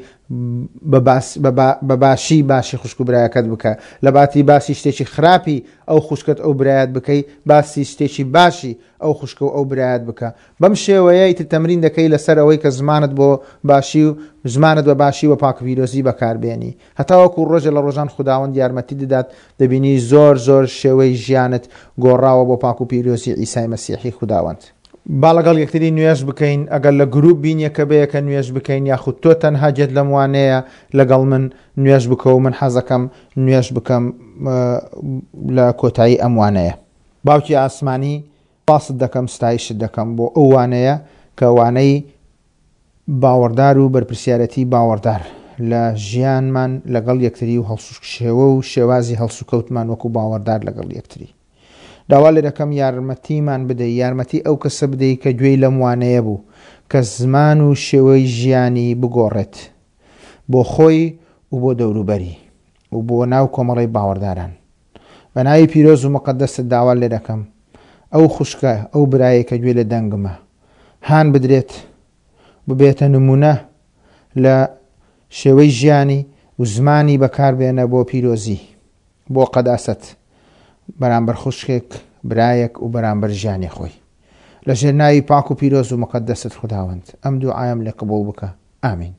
بە باشی باشی خوشک و برایەکەت بکە، لە باتی باسی شتێکی خراپی ئەو خوشکت ئەو برایەت بکەی باسی شتێکی باشی ئەو خوشکە و ئەو برایەت بکە. بەم شێوەیە ئیتر تەمرین دەکەی لەسەر ئەوەی کە زمانت بۆ باشی و زمانت بە باشی و پاک پیرۆزی بەکاربێنی، هەتاوەکو ڕۆژێ لە ڕۆژان خوداوەند یارمەتی دەدات دەبینی زۆر زۆر شێوەی ژیانت گۆڕاوە بۆ پاک و پیرۆزی عیسای مەسیحی خوداوەند. با لەگەڵ یەکتری نوێژ بکەین، ئەگەر لە گروپ بین یەکە بە یەکە نوێژ بکەین، یاخود تۆ تەنها گێت لەم وانەیە لەگەڵ من نوێژ بکە و من حەزەکەم نوێژ بکەم لە کۆتایی ئەم وانەیە. باوکی ئاسمانی سپاست دەکەم، ستایشت دەکەم بۆ ئەو وانەیە کە وانەی باوەڕدار و بەرپرسیارەتی باوەڕدار لە ژیانمان لەگەڵ یەکتری و هەڵسوشێوە و شێوازی هەڵسوکەوتمان وەکو باوەڕدار لەگەڵ یەکتری. داوا لێ دەکەم یارمەتیمان بدەی، یارمەتی ئەو کەسە بدەی کە گوێی لەم وانەیە بوو، کە زمان و شێوەی ژیانی بگۆڕێت بۆ خۆی و بۆ دەوروبەری و بۆ ناو کۆمەڵەی باوەڕداران. بە ناوی پیرۆز و مقەدەست داوا لێ دەکەم ئەو خوشکە، ئەو برایە کە گوێ لە دەنگمە هان بدرێت ببێتە نمونە لە شێوەی ژیانی و زمانی بەکاربێنە بۆ پیرۆزی، بۆ قەداسەت بەرامبەر خوشکێک، برایەک و بەرامبەر ژیانی خۆی. لە ژێر ناوی پاک و پیرۆز و مقەدەست خوداوەند ئەم دوعایم لێ قبوڵ بکە. ئامین.